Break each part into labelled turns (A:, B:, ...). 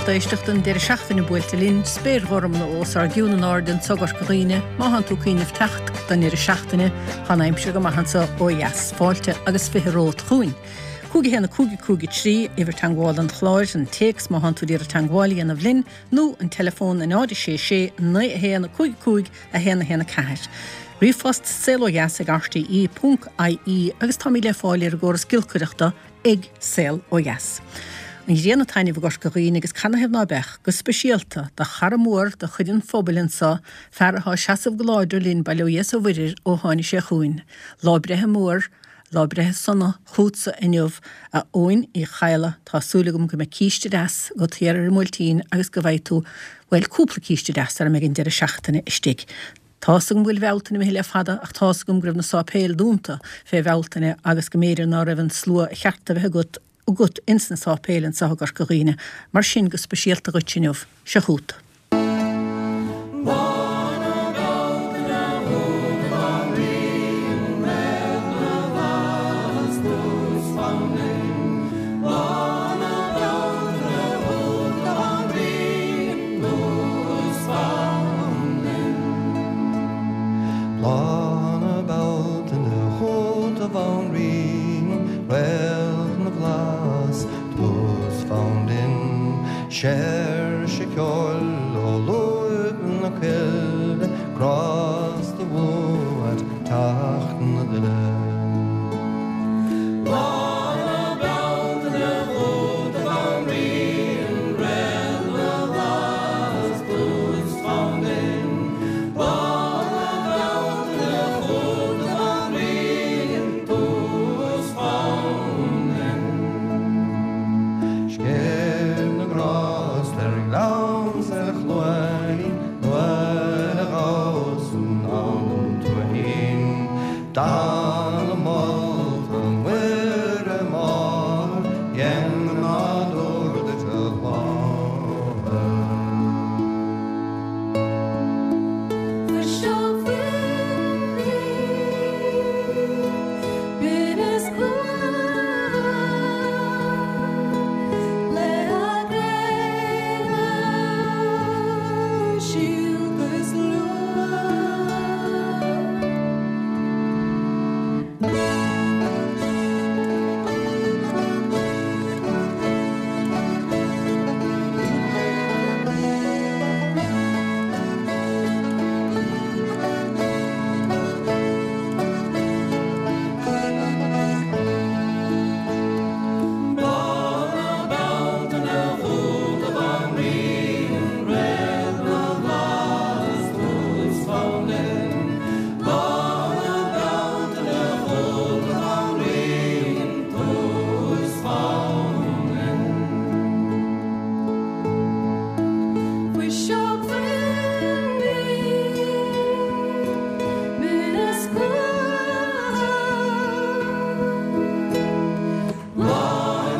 A: lucht éisteachta, an deireadh seachtaine buailte linn, spéir ghorm os ár gcionn in airde anso i gCorca Dhuibhne, má thánn tú ag cuimhneamh teacht don ndeireadh seachtaine, tá an aimsir go maith anso ó dheas. Fáilte agus 20 romhat chugainn. 5 1 5 5 3, uimhir teagmhála an chláir, an téacs má thánn tú ag iarraidh teagmháil a dhéanamh linn, nó an teileafón 0 6 6 9 1 5 5 1 1 4. Ríomhphost, saolodheas ag rte ponc ie agus táimid le fáil ar an gcóras giolcaireachta ag Saol Ó Dheas. An ghrian ag taitneamh i gCorca Dhuibhne agus canathaobh ná beadh, go speisialta do chara mór de chuid an phobail anso, fear atá ag seasamh go láidir linn bail ó Dhia 's ó Mhuire air ó tháinig sé chugainn. Lá breithe mór, lá breithe sona chútsa inniu a Eoin Uí Chadhla, tá súil agam go mbeidh císte deas agat thiar ar an mBuailtín agus go bhfaighidh tú, bhuel, cúpla císte deas sara mbeidh an deireadh seachtaine istigh. Tá's agam go bhfuil Bealtaine imithe le fada ach tá's agam go raibh na sáipéil dúnta fé Bhealtaine agus go mb'fhéidir ná raibh an slua a cheart a bheith agat agat ins na sáipéil anso i gCorca Dhuibhne. Mar sin go speisialta dhuit inniu, seo chút.
B: Lá na Bealtaine chugat a Bhanríon, Réalt na bhFlaitheas, tús fonn binn, Séirse ceoil ó lúib na coille, Grásta uait teacht na duille. Lá na Bealtaine chugat a Bhanríon, Réalt na bhFlaitheas, tús fonn binn, Lá na Bealtaine chugat a Bhanríon, tús fonn binn. Scéimh na ngrást ar ghleann 's ar chluainín nuair a ghabhas anonn an tuaithín. Dathanna molta Muire Máthair, dhein an nádúr duit a láthair.
C: Fuiseog bhinn binneas cluain le gréine síolta is luain.
B: Lá na Bealtaine chugat a Bhanríon, Réalt na bhFlaitheas, tús fonn binn. Lá na Bealtaine chugat a Bhanríon, tús fonn binn.
C: Fuiseog bhinn binneas cluain.
B: Lá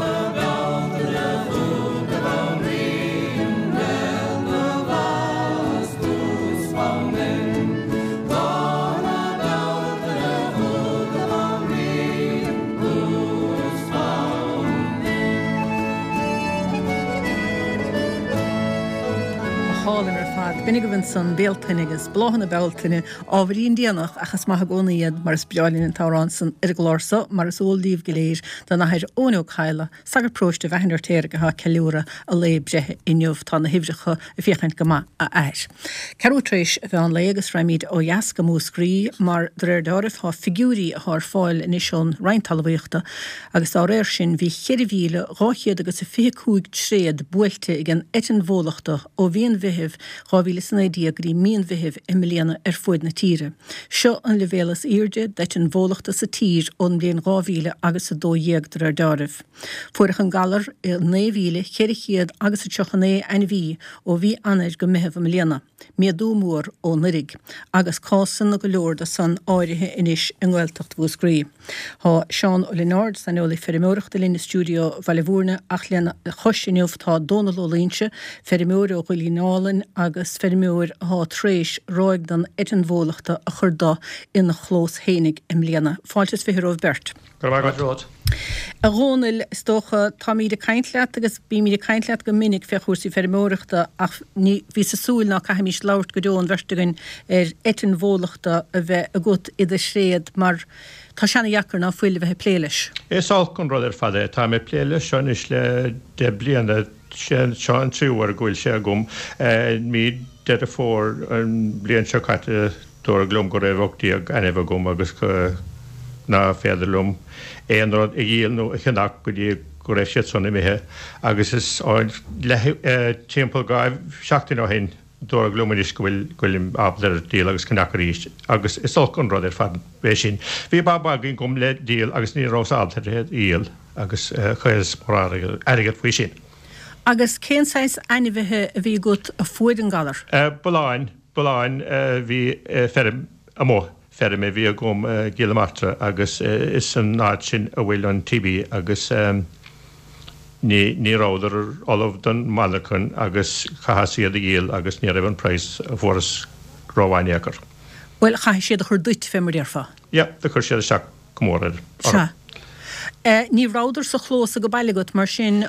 B: na Bealtaine chugat a Bhanríon, Réalt na bhFlaitheas, tús fonn binn. Lá na Bealtaine chugat a Bhanríon, tús fonn binn.
A: Go hálainn ar fad. B'in agaibh ansan Bealtaine agus Bláthanna Bealtaine, ábhairín déanach ach is maith i gcónaí iad mar is breá linn an t-amhrán san ar an gclár so mar is eol daoibh go léir don Athair Eoin Ó Cadhla, sagart paróiste Mheachain Fheirtéaraigh atá ag ceiliúradh a lae breithe inniu. Tá na huimhreacha ag féachaint go maith, a Athair. Ceathrú tar éis an mheán lae agus raghaimid ó dheas go Múscraí mar de réir deáraimh tá figiúirí atá ar fáil anois ón Roinn Talmhaíochta agus dá réir sin bhí 4,200 agus a 25 tréad buailte ag an eitinn bhólachta ó mhí an Mheithimh 2019 go dtí mí an Mheithimh i mbliana ar fuaid na tíre. Seo an leibhéal is aoirde d'eitinn bhólachta sa tír ón mbliain 2000 agus 12 de réir deáraimh. Fuaireadh an galar i 9,400 agus a 39 ainmhí ó mhí Eanáir go Meitheamh i mbliana, méadú mór ó anuraidh, agus cásanna go leor de san áirithe anois i nGaeltacht Mhúscraí. Tá Seán Ó Lionáird, saineolaí feirmeoireachta linn i stiúideo Bhaile Bhúirne ach lena chois inniu tá Dónal Ó Loingsigh, feirmeoir ó Dhoilín Álainn agus feirmeoir athá tar éis ráig den eitinn bhólachta a chur do ina chlós fhéinig i mbliana. Fáilte is 20 romhaibh beirt.
D: Go raibh maith agat.
A: A Dhónaill, is dócha, táimíd ag caint leat agus bímíd ag caint leat go minic fé chúrsaí feirmeoireachta ach ní bhíos ag súil ná caithfimís labhairt go deo an bheirt againn ar eitinn bhólachta a bheith agat i do thréad mar tá sé ana-dheacair ná fuil a bheith ag plé leis.
D: Is olc an rud ar fad é. Táim ag plé leis seo anois le 10 bliana. Seo an tríú huair go bhfuil sé agam. Mí Deireadh Fómhair an bhliain seo caite dúradh liom go raibh 18 ainmhí agam agus ná féidir liom aon rud a dhíol nó a cheannach go dtí go raibh siad san imithe agus is leath timpeall 2 seachtain ó shin dúradh liom anois go bhfuil go bhfuilim ábalta ar díol agus ceannach arís agus is olc an rud ar fad é sin. Bhí ba againn agam le díol agus ní rabhas ábalta ar é a dhíol agus chailleas mórán airgead faoi sin.
A: Agus cén saghas ainmhithe a bhí agat a fuair an galar?
D: Bulláin, bulláin a bhí feirm amuigh, feirm a bhí agam i gCill na Martra agus is san áit sin a bhfuil an TB agus ní, ní rabhadar ullamh don mhonarchan agus chaitheas iad a dhíol agus ní raibh an praghas a fuaireas rómhaith in aon chor.
A: Bhuel, chaithfidh siad a chur duit, fé mar déarfá.
D: Yeah, do chuir siad isteach. go mór orm.
A: Sea. Ní rabhadar sa chlós age baile agat, mar sin,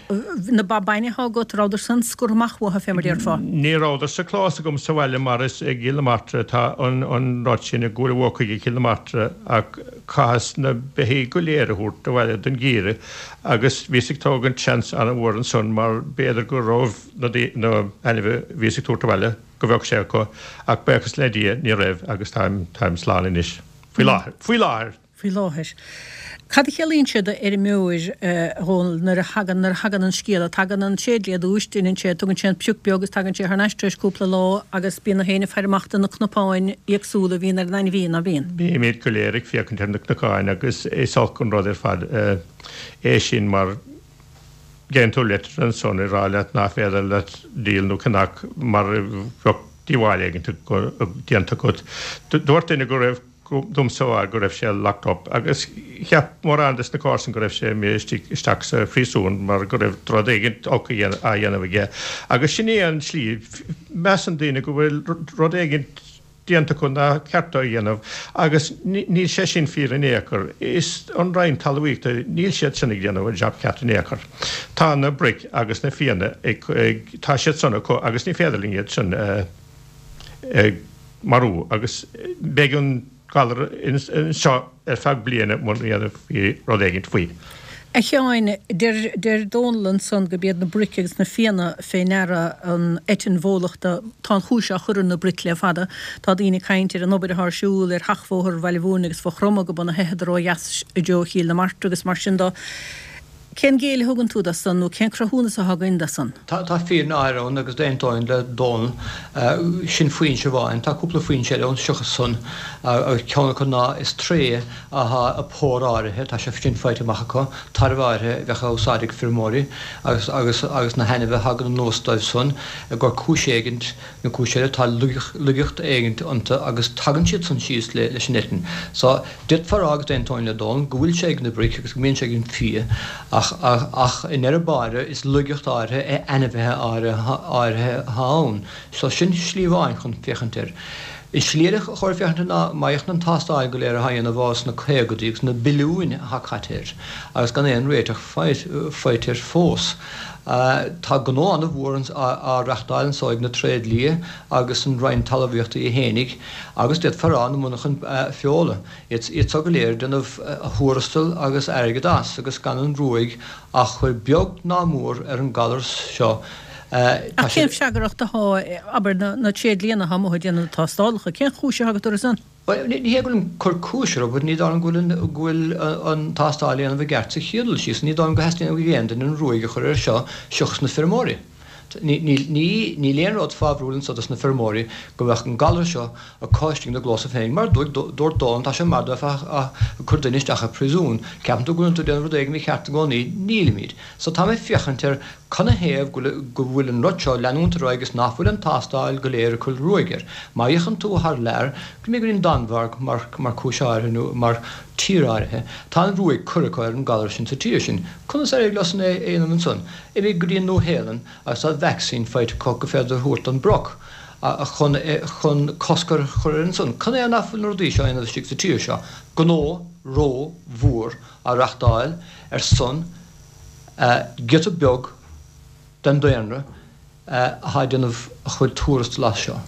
A: na ba bainne atá agat, rabhadar san scortha amach uathu, fé mar déarfá?
D: Ní rabhadar sa chlós agam sa bhaile mar is i gCill na Martra atá an rud sin, ag gabháil i chuig Cill na Martra ach chaitheas na beithígh go léir a thabhairt abhaile don gheimhreadh agus bhíos ag tógaint seans an-mhór ansan mar b'fhéidir go raibh na ainmhithe a bhíos ag tabhairt abhaile go bheadh sé acu ach buíochas le Dia ní raibh agus táim táim slán anois. Faoi láthair. Faoi láthair.
A: Faoi láthair. Cad a chiallaíonn sé do fheirmeoir, a Dhónaill, nuair a thagann, nuair a thagann an scéala? Tagann an tréidlia ar dtúis, deineann sé, tugann sé an pioc beag agus tagann sé thar n-ais tar éis cúpla lá agus bíonn gach éinne ag faire amach do na cnapáin éagsúla a bhíonn ar an ainmhí, ná bíonn?
D: Bímid go léir ag féachaint ar na cnocáin agus is olc an rud ar fad é sin mar gheibheann tú leitir ansan ag rá leat ná féidir leat díol nó ceannach mar bheadh díobháil éigin déanta agat. Dúirt duine go raibh domsa a rá go raibh sé locked up agus cheap mórán des na comharsain go raibh sé imithe istigh isteach sa phríosún mar go raibh rud éigin olc á dhéanamh aige. Agus sin é an tslí, measann daoine go bhfuil rud éigin déanta acu nár cheart dó a dhéanamh agus níl sé sin fíor in aon chor. Is an Roinn Talmhaíochta, níl siad sin ag déanamh an jab ceart in aon chor. Tá na broic agus na fianna ag, tá siad san acu agus ní féidir linn iad sin a marú agus beidh an galar anseo ar feadh bliana muna ndéanfaí rud éigint faoi.
A: A Sheáin, deir, deir Dónall ansan gurb iad na broic agus na fianna fé ndeara an eitinn bhólachta. Tá an chúis á chur ar na broic le fada. Tá daoine ag caint ar an obair atá ar siúl ar sheachbhóthar Bhaile Mhúirne agus Mhaigh Chromtha go b'ionann a theitheadar ó dheas i dtreo Chill na Martra agus mar sin do. Cén géilleadh a thugann tú do san nó cén cruthúnas atá againn do san?
E: Tá fírinne áirithe ann agus d'aontóinn le Dónall. Sin foinse amháin. Tá cúpla foinse eile ann seachas san agus ceann acu ná is tréith atá i pór áirithe, tá sé sin faighte amach acu, tairbh áirithe a bheadh á úsáid ag feirmeoirí agus agus agus na hainmhithe a thagann anuas dóibh san i gcomhair cúis éigint nó cúis eile tá laigeacht éigint iontu agus tagann siad san síos leis an eitinn. So D'fhéadfá a rá, agus d'aontóinn le Dónall, go bhfuil sé ag na broic agus go mbíonn sé ag an bhfia, ach, ach i ndeireadh báire is laigeacht áirithe i ainmhithe áirithe atá ann. So sin slí amháin chun féachaint air. An slí eile a chóir féachaint air ná má fhéachann an tástáil go léir atá á dhéanamh ó sna caogaidí agus na billiúin atá caite air agus gan aon réiteach faighte air fós. Tá gnó an-mhór á reachtáil anso ag na tréidlia agus an Roinn Talmhaíochta í fhéinig Agus d'fhéadfá a rá na monarchain feola, iad so go léir ag déanamh a thuarastal agus airgead as agus gan an ruaig á chur beag ná mór ar an galar seo.
A: Tá Ach cén freagracht atá, abair, na tréidlianna atá amuigh ag déanamh na tástálacha, cén chúis atá agat orthu san?
E: Bhuel, ní hé go bhfuilim ag cur cúis orthu, but ní dóigh liom go bhfuil go bhfuil an tástáil á dhéanamh i gceart sa chéad dul síos. Ní dóigh liom go theastaíonn ó aon duine an ruaig a chur air seo seachas na feirmeoirí. Níl aon rud fabhrúil anso dos na feirmeoirí go mbeadh an galar seo acu istigh ina gclósa féin. Mar a dúirt Dónall, tá sé mar dá mbeifeá ag cur duine isteach i bpríosún. Ceapann tú go bhfuil tú ag déanamh rud éigin mícheart i gcónaí. Nílimid. So tá mé ag féachaint ar canathaobh go bhfuil an rud seo ag leanúint ar aghaidh agus nach bhfuil an tástáil go léir ag cur ruaig air. Má fhéachann tú thar lear, go mb'fhéidir an Danmhairg mar cúis áirithe nó mar tír áirithe, tá an ruaig curtha acu ar an galar sin sa tír sin. Conas ar éirigh leosan é a dhéanamh ansan? Imigh go dtí an Nua-Shéalainn agus tá vacsaín faighte acu gur féidir a thabhairt don broc. chun chun cosc a chur ar ansan. Cad é nach bhfuil na rudaí seo á dhéanamh istigh sa tír seo? Gnó ró mhór á reachtáil ar son giota beag den daonra atá ag déanamh a chuid tuarastal as seo.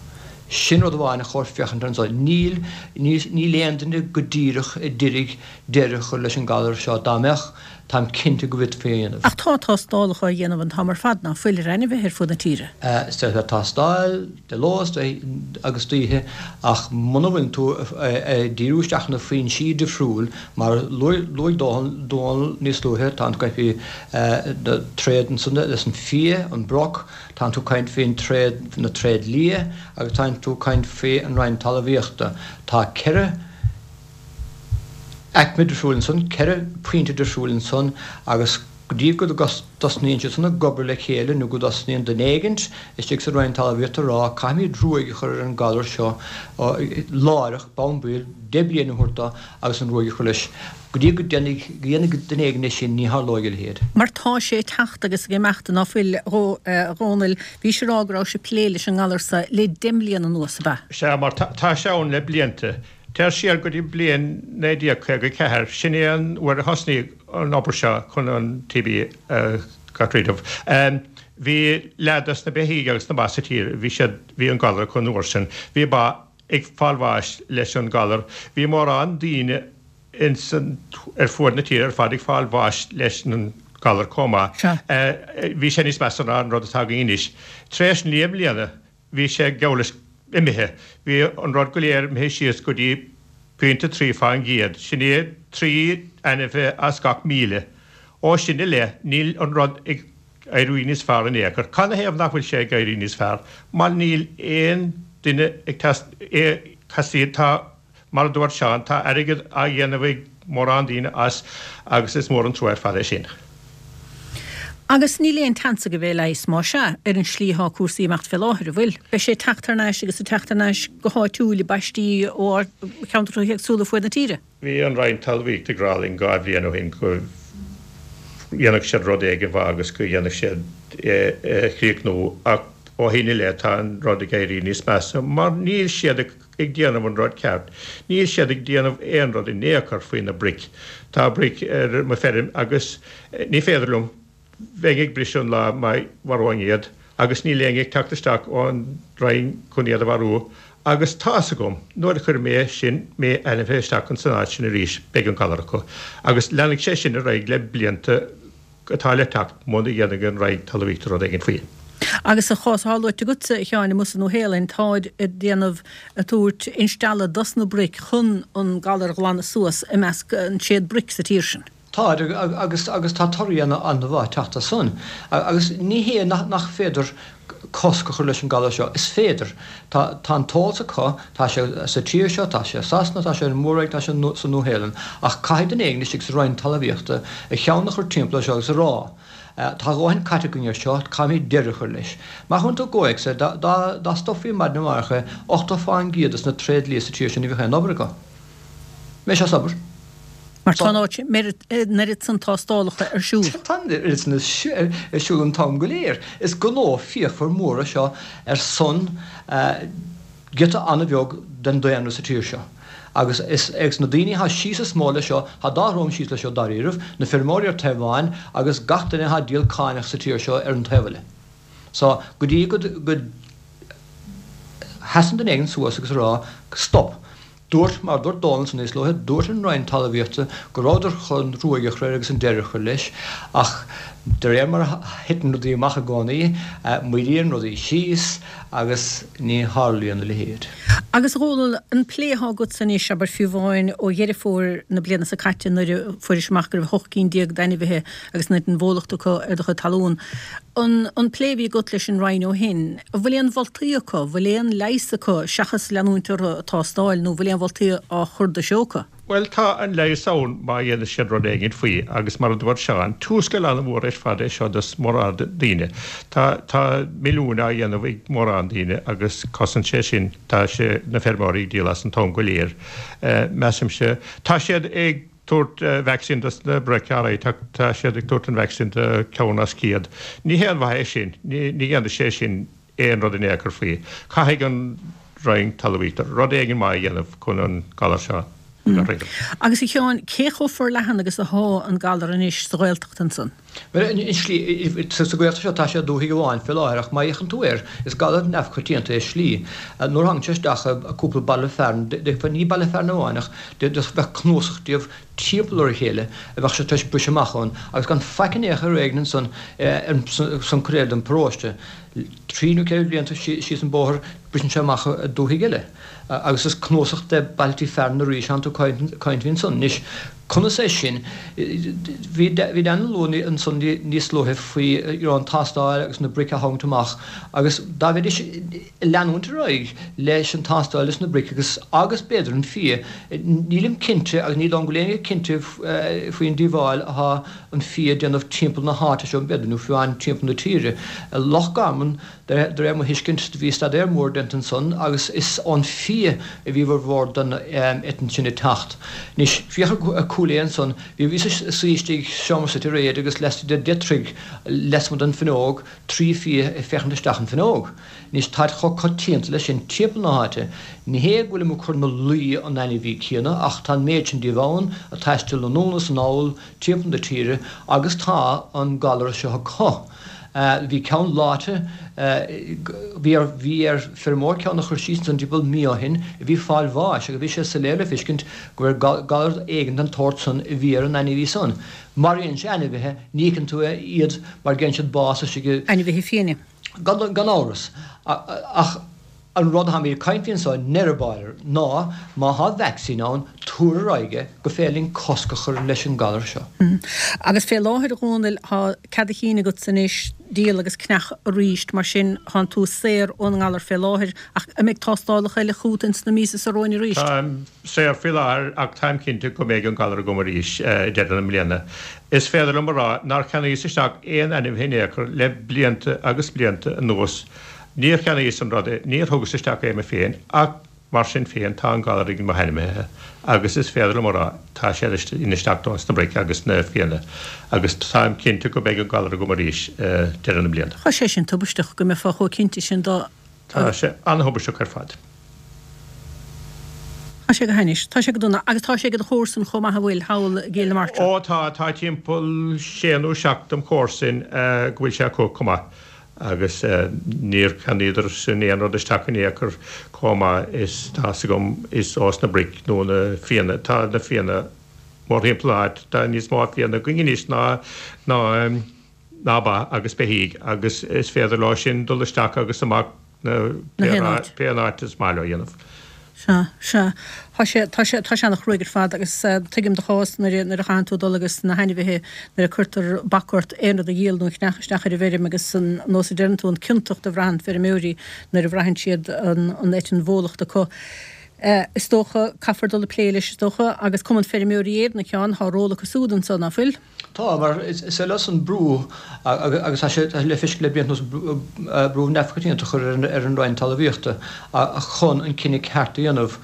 E: Sin rud amháin a chóir féachaint air anso. Níl, níl aon duine go díreach a d'iarraidh deireadh a chur leis an galar seo. Dá mbeadh, táim cinnte go bhféadfaí é a dhéanamh.
A: Ach tá tástálacha á dhéanamh an t-am ar fad, ná fuil, ar ainmhithe ar fud na tíre?
E: Is féidir tástáil de ló agus d'oíche ach muna bhfuileann tú ag díriú isteach ar na foinsí difriúil, mar a luaigh Dónall níos luaithe, tá tú ag caint faoi na tréad ansan leis an fia, an broc, tánn tú ag caint faoin tréad, na tréad liath agus tánn tú ag caint faoi an Roinn Talmhaíochta. Tá 4 aicme difriúil ansan, 4 pointe difriúil ansan agus go dtí go dtosnaíonn siad san ag obair le chéile nó go dtosnaíonn duine éigint istigh sa Roinn Talmhaíochta a rá caithfimid ruaig a chur ar an galar seo láithreach bonn baill, 10 bliana a thabhairt dó agus an ruaig a chur leis. Go dtí go ndéanfaidh duine éigin é sin, ní tharlóidh a leithéid.
A: Mar tá sé ag teacht agus ag imeacht, ná fuil, a Dhónaill? Bhís ag rá go rabhais ag plé leis an ngalar so le 10 mbliana anuas, ab ea?
D: Sea, mar tá sé ann le blianta. Téir siar go dtí bliain 1954, sin é an uair a thosnaigh an obair seo chun an TB a get rid of. Bhí leath dos na beithígh agus na ba sa tír, bhí siad, bhí an galar acu an uair sin. Bhí ba ag fáil bháis leis an galar. Bhí mórán daoine ins an, ar fuaid na tíre ar fad ag fáil bháis leis an galar chomh maith. Bhí sé níos measa ná an rud atá againn anois. Tar éis 9 mbliana bhí sé geall leis imithe. Bhí an rud go léir imithe síos go dtí pointe 3 fán gcéad. Sin é 3 ainmhithe as gach 1,000. Ó sin i leith níl an rud ag éirí níos fearr in aon chor. Cad 'na thaobh nach bhfuil sé ag éirí níos fearr? Mar níl aon duine ag teastaíonn, tá, mar a dúirt Seán, tá airgead á dhéanamh ag mórán daoine as agus is mór an trua ar fad é sin.
A: Agus níl aon tseans go mbeidh leigheas, más ea, ar an slí atá cúrsaí ag imeacht fé láthair, an bhfuil? Beidh sé ag teacht thar n-ais agus ag teacht thar n-ais go háitiúil i bpaistí ó cheantracha éagsúla fuaid na tíre.
D: Bhí an Roinn Talmhaíochta ag rá linn 2 bhliain ó shin go dhéanfadh siad rud éigin faoi agus go dhéanfadh siad é a chríochnú ach ó shin i leith tá an rud ag éirí níos measa mar níl siad ag déanamh an rud ceart. Níl siad ag déanamh aon rud in aon chor faoi na broic. Tá broic ar mo feirm agus ní féidir liom Bheinn ag briseadh an lá má mharóinn iad agus níl éinne ag teacht isteach ón Roinn chun iad a mharú agus tá's agam nuair a chuirfidh mé sin m'ainmhithe isteach ins an áit sin arís beidh an galar acu agus leanfaidh sé sin ar aghaidh le blianta atá le teacht muna dhéanfaidh an Roinn Talmhaíochta rud éigin faoi.
A: Agus sa chás atá luaite agatsa, a Sheáin, amuigh sa Nua-Shéalainn, táid ag déanamh, ag tabhairt instealladh dos na broic chun an galar a ghlanadh suas i measc an tréad broic sa tír sin.
E: Tá, agus agus tá torthaí an-mhaith ag teacht as san. Agus ní hé nach féidir cosc a chur leis an galar seo, is féidir. Tá tá an t-eolas acu, tá sé sa tír seo, tá sé i Sasana, tá sé ar an Mór-Roinn, tá sé sa Nua-Shéalainn. Ach caithfidh duine éigin istigh sa Roinn Talmhaíochta a cheann a chur timpeall air seo agus a rá, tá a dhóthain caite againn air seo, caithfimid deireadh a chur leis. Mar chuireann tú i gcomhthéacs é, dá dá dá stopfaí maidin amárach é, 80 fán gcéad des na tréad liath sa tír seo ní bheadh aon obair acu. Mbeidh sé as obair.
A: Mar tá an oiread san tástálacha ar siúl.
E: Tá an oiread san ar siúl an t-am go léir. Is gnó fíochmhar mór é seo ar son giota an-bheag den daonra sa tír seo. Agus is ag na daoine atá síos is mó leis seo, tá dá dhroim síos leis seo dáiríribh, na feirmeoirí ar taobh amháin agus gach duine atá ag díol cáineach sa tír seo ar an taobh eile. So, go dtí go sheasann duine éigin suas agus a rá, stop! Dúirt, mar a dúirt Dónall ansan níos luaithe, dúirt an Roinn Talmhaíochta go rabhadar chun ruaig a chur air agus an deireadh a chur leis, ach de réir mar a thiteann rudaí amach i gcónaí, moillíonn rudaí síos agus ní tharlaíonn a leithéid.
A: Agus a Dhónaill, an plé atá agatsa anois, abair fiú amháin ó Dheireadh Fómhair na bliana seo caite nuair a fuairis amach go raibh 18 cinn d'ainmhithe agus an bhólacht acu ar do chuid talún, An an plé a bhí agat leis an Roinn ó shin, an bhfuil aon mholtaí acu, an bhfuil aon leigheas acu seachas leanúint orthu ag tástáil nó an bhfuil aon mholtaí á chur do threo acu?
D: Bhuel, tá an leigheas ann má dhéanann siad rud éigin faoi agus mar a dúirt Seán, tuarascáil an-mhór ar fad é seo dos mórán daoine. Tá tá milliúin á dhéanamh ag mórán daoine agus cosaint sé sin, tá sé, na feirmeoirí ag díol as an t-am go léir, measaimse. Tá siad ag. tabhairt vacsaín dos na broic, alright, tá siad ag tabhairt an vacsaín do ceann as 100. Ní haon mhaith é sin, ní dhéanfaidh sé sin. aon rud in aon chor faoi. Caithfidh an Roinn Talmhaíochta rud éigin maith a dhéanamh chun an galar seo a thriail.
A: Agus a Sheáin, cé chomh forleathan agus athá an galar anois sa Ghaeltacht ansan?
E: Bhuel, i slí, sa Ghaeltacht seo tá sé i dúthaigh amháin fé láthair ach má fhéachann tú air, is galar neamhchoitianta é i slí. Nuair a thagann sé isteach i cúpla baile fearainn, ní baile fearainn amháin ach bheadh cnuasach díobh timpeall ar a chéile a bheadh sé tar éis briseadh amach ann agus gan faic in aon chor ar éigean ansan san cuid eile den paróiste. Trí nó ceithre blianta síos an bóthar briseann sé amach i dúthaigh eile agus is cnuasach de bailtí fearainn arís atánn tú ag caint faoi ansan. Anois, conas é sin? Bhí Dan ag lua ansan níos luaithe faoi you know an tástáil agus na bric a tharraingt amach agus dá mbeidís leanúint ar aghaidh leis an tástáil is na bric agus agus b'fhéidir an fia. Nílim cinnte agus ní dóigh liom go bhfuil éinne cinnte faoin díobháil atá an fia ag déanamh timpeall na háite seo b'fhéidir nó fiú amháin timpeall na tíre. Loch Garman, de réir mo thuiscint, bhí staidéar mór déanta ansan agus is ón fia a bhí a bhformhór den eitinn sin ag teacht. Anois, féach ar Cúil Aodha ansan, bhíos ag suí istigh i seomra suite aréir agus laistigh de dheich dtroigh lasmuigh den bhfuinneog, 3 fia ag féachaint isteach an fuinneog. Anois táid chomh coitianta leis sin timpeall na háite. Ní hé go bhfuilim ag cur ina luí an ainmhí céanna ach tá an méid sin díobh ann ag taisteal anonn is anall timpeall na tíre agus tá an galar seo acu. Bhí ceann leáite, bhí ar bhí ar feirmeoir ceann a chur síos ansan timpeall mí ó shin a bhí ag fáil bháis agus bhí sé soiléir le feiscint go raibh galar éigin den tsórt san a bhí ar an ainmhí san. Maraíonn sé ainmhithe, ní fheiceann tú iad mar gheibheann siad bás istigh i.
A: Ainmhithe fiaine.
E: Gan amhras. Ach an rud atáimid ag caint faoi anseo i ndeireadh báire ná má thá vacsaín ann, tabhair ar aghaidh é gur féidir linn cosc a chur leis an galar seo.
A: Agus fé láthair, a Dhónaill, thá cead a chinn agatsa anois díol agus ceannach arís, mar sin thánn tú saor ón ngalar fé láthair, ach an mbeidh tástálacha eile chugat ins na míosa seo romhainn arís?
D: Táim saor faoi láthair ach táim cinnte go mbeidh an galar agam arís ag deireadh na mbliana. Is féidir liom a rá nár cheannaíos isteach aon ainmhithe in aon chor le blianta agus blianta anuas. Níor cheannaíos an rud é, níor thugas isteach é mé féin ach mar sin féin tá an galar ag mo hainmhithe agus is féidir liom a rá tá siad isteach dos na bric agus na fianna agus táim cinnte go mbeidh an galar agam arís deireadh na bliana.
A: Tá sé sin tubaisteach go mbeifeá chomh cinnte sin de.
D: Tá sé an-thubaisteach ar fad.
A: Tá sé go hainnis. Tá sé go dona. Agus tá sé ag do chomharsain chomh maith, an bhfuil, thall i gCill na Martra?
D: Ó tá, tá timpeall sé nó seacht dem chomharsain go bhfuil sé acu chomh maith. Agus níor cheannaíodar sin aon rud isteach in aon chor chomh maith is tá's agam is ós na bric nó na fianna. Tá na fianna mórthimpeall na háite. Tá níos mó fianna againn anois ná ná ná ba agus beithígh agus is féidir leo sin dul isteach agus amach pé an áit is maith leo a dhéanamh.
A: Sea, sea. Tá sé, tá sé, tá sé ana-chruaidh ar fad agus tuigim do chás nuair a, nuair a chaitheann tú dul agus na hainmhithe, nuair a cuirtear bac ort aon rud a dhíol nó a cheannach isteach ar an bhfeirm agus an nós a deireann tú, an ciontacht a bhraitheann feirmeoirí nuair a bhraitheann siad an, an eitinn bhólach acu. Is dócha, caithfear dul ag plé leis is dócha agus Cumann Feirmeoirí Éireann a Sheáin, tá ról acu siúd anso, ná fuil?
E: Tá, mar is é leosan brú, agus tá sé le feiscint le blianta anuas, brú neamhchoitianta a chur ar an Roinn Talmhaíochta chun an cinneadh ceart a dhéanamh.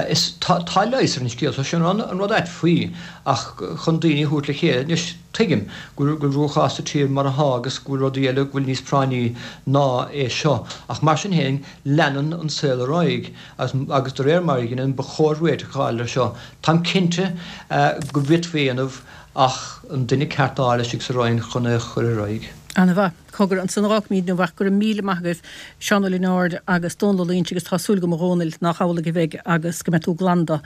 E: Is tá leigheas ar an scéal seo, sin an rud ait faoi, ach chun daoine a thabhairt le chéile. Anois, tuigim go bhfuil cruachás sa tír mar atá agus go bhfuil rudaí eile go bhfuil níos práinní ná é seo, ach mar sin féin, leanann an saol ar aghaidh agus de réir mar a dheineann, ba chóir réiteach a fháil air seo. Táim cinnte go bhféadfaí é a dhéanamh. ach an duine ceart a fháil istigh sa Roinn chun é a chur ar aghaidh.
A: Ana-mhaith. Cogar, ansan a dh'fhágfaimíd inniu ach go raibh míle maith agaibh, Seán Ó Lionáird agus Dónal Ó Loingsigh agus tá súil agam a Dhónaill nách amhlaidh a bheidh agus go mbeidh tú glan do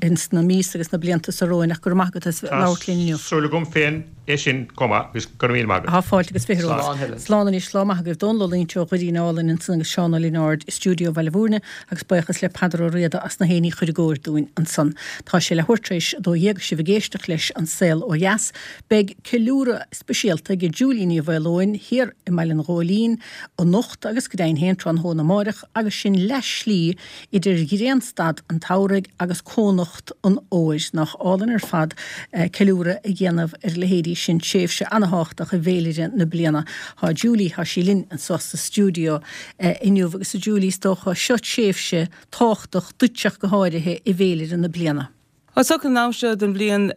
A: ins na míosa agus na blianta so romhainn ach go raibh maith agat as labhairt linn inniu.
D: Tá súil agam féin é sin chomh maith agus go raibh míle maith agat.
A: Tá fáilte agus fiche romhat.
E: Slán Helen.
A: Slán anois, lá maith agaibh. Dónal Ó Loingsigh ó Dhoirín Álainn ansan agus Seán Ó Lionáird i stiúideo Bhaile Bhúirne agus buíochas le Peadar Ó Riada as na héin a chur i gcóir dúinn ansan. Tá sé leathuair tar éis 12 agus sibh ag éisteacht leis An Saol Ó Dheas. Beidh ceiliúradh speisialta ag Julie Ní Mhaoileoin thiar i mBaile an Ghóilín anocht agus go deimhin féin tráthnóna amáireach agus sin leath slí idir ghrianstad an tsamhraidh agus cónocht an fhómhair. Nach álainn ar fad ceiliúradh a dhéanamh ar a leithéidí sin, tréimhse ana-thábhachtach i bhféilire na bliana. Thá Julie, thá sí linn anso sa stiúideo inniu agus a Julie is dócha seo tréimhse tábhachtach duitse ach go háirithe i bhféilire na bliana.
F: Is dócha an am seo den bhliain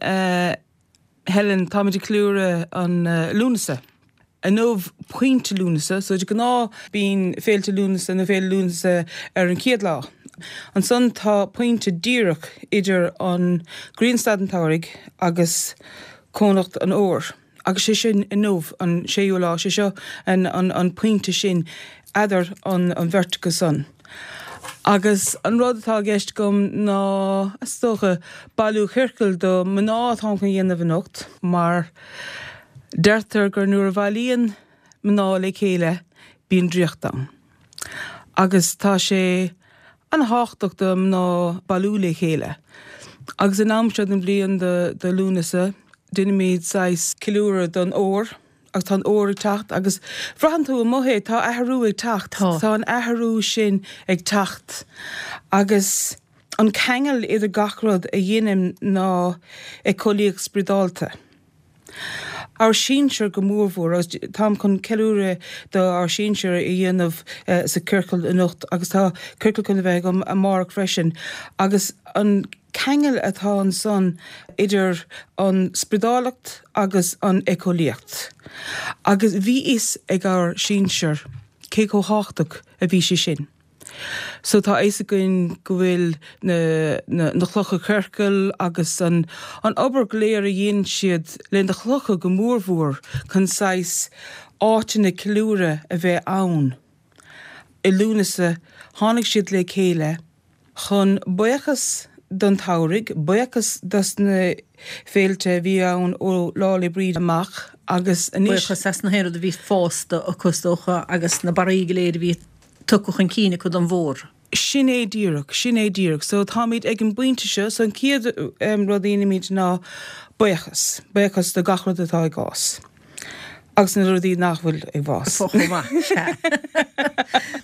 F: Helen, táimid ag ceiliúradh an Lúnasa. Inniu pointe Lúnasa, so de ghnáth bíonn féilte Lúnasa nó Féile Lúnasa ar an chéad lá. Ansan tá pointe díreach idir an grianstad an tsamhraidh agus cónocht an fhómhair agus sé sin inniu an séú lá, sé seo an pointe sin eadar an bheirt acu san. Agus an rud atá i gceist agam ná, is dócha, bailiú ciorcail do mná atáim chun a dhéanamh anocht mar deirtear gur nuair a bhailíonn mná le chéile bíonn draíocht ann. Agus tá sé an-thábhachtach do mná bailiú le chéile. Agus an am seo den bhliain do Lúnasa, déanaimid saghas ceiliúradh don fhómhar. Agus tá an fhómhar ag teacht agus braitheann tú amuigh é, tá athrú ag teacht. Tá. Tá an athrú sin ag teacht. Agus an ceangal idir gach rud a dheinim ná éiceolaíocht spioradálta. Ár sinsir go mórmhór, agus táim chun ceiliúradh do ár sinsir a dhéanamh sa ciorcal anocht agus tá ciorcal chun a bheith agam amárach freisin. Agus an ceangal atá ansan idir an spriodálacht agus an éiceolaíocht. Agus bhí fhios ag ár sinsir cé chomh thábhachtach a bhí sé sin. So tá a fhios againn go bhfuil na na clocha ciorcail agus an an obair go léir a dhein siad le na clocha go mórmhór chun saghas áiteanna ceiliúradh a bheith ann. I Lúnasa tháinig siad le chéile chun buíochas don tsamhraidh, buíochas dos na féilte a bhí ann ó Lá 'le Bríde amach agus anois.
A: Buíochas as na haon rud a bhí fásta acu is dócha agus na barraí go léir a bhí tugtha chun cinn acu don bhfómhar.
F: Sin é díreach, sin é díreach. So táimid ag an bpointe seo, so an chéad rud a dhéanaimid ná buíochas, buíochas do gach rud atá ag fás. Agus na rudaí nach bhfuil ag fás.
A: Chomh maith, sea.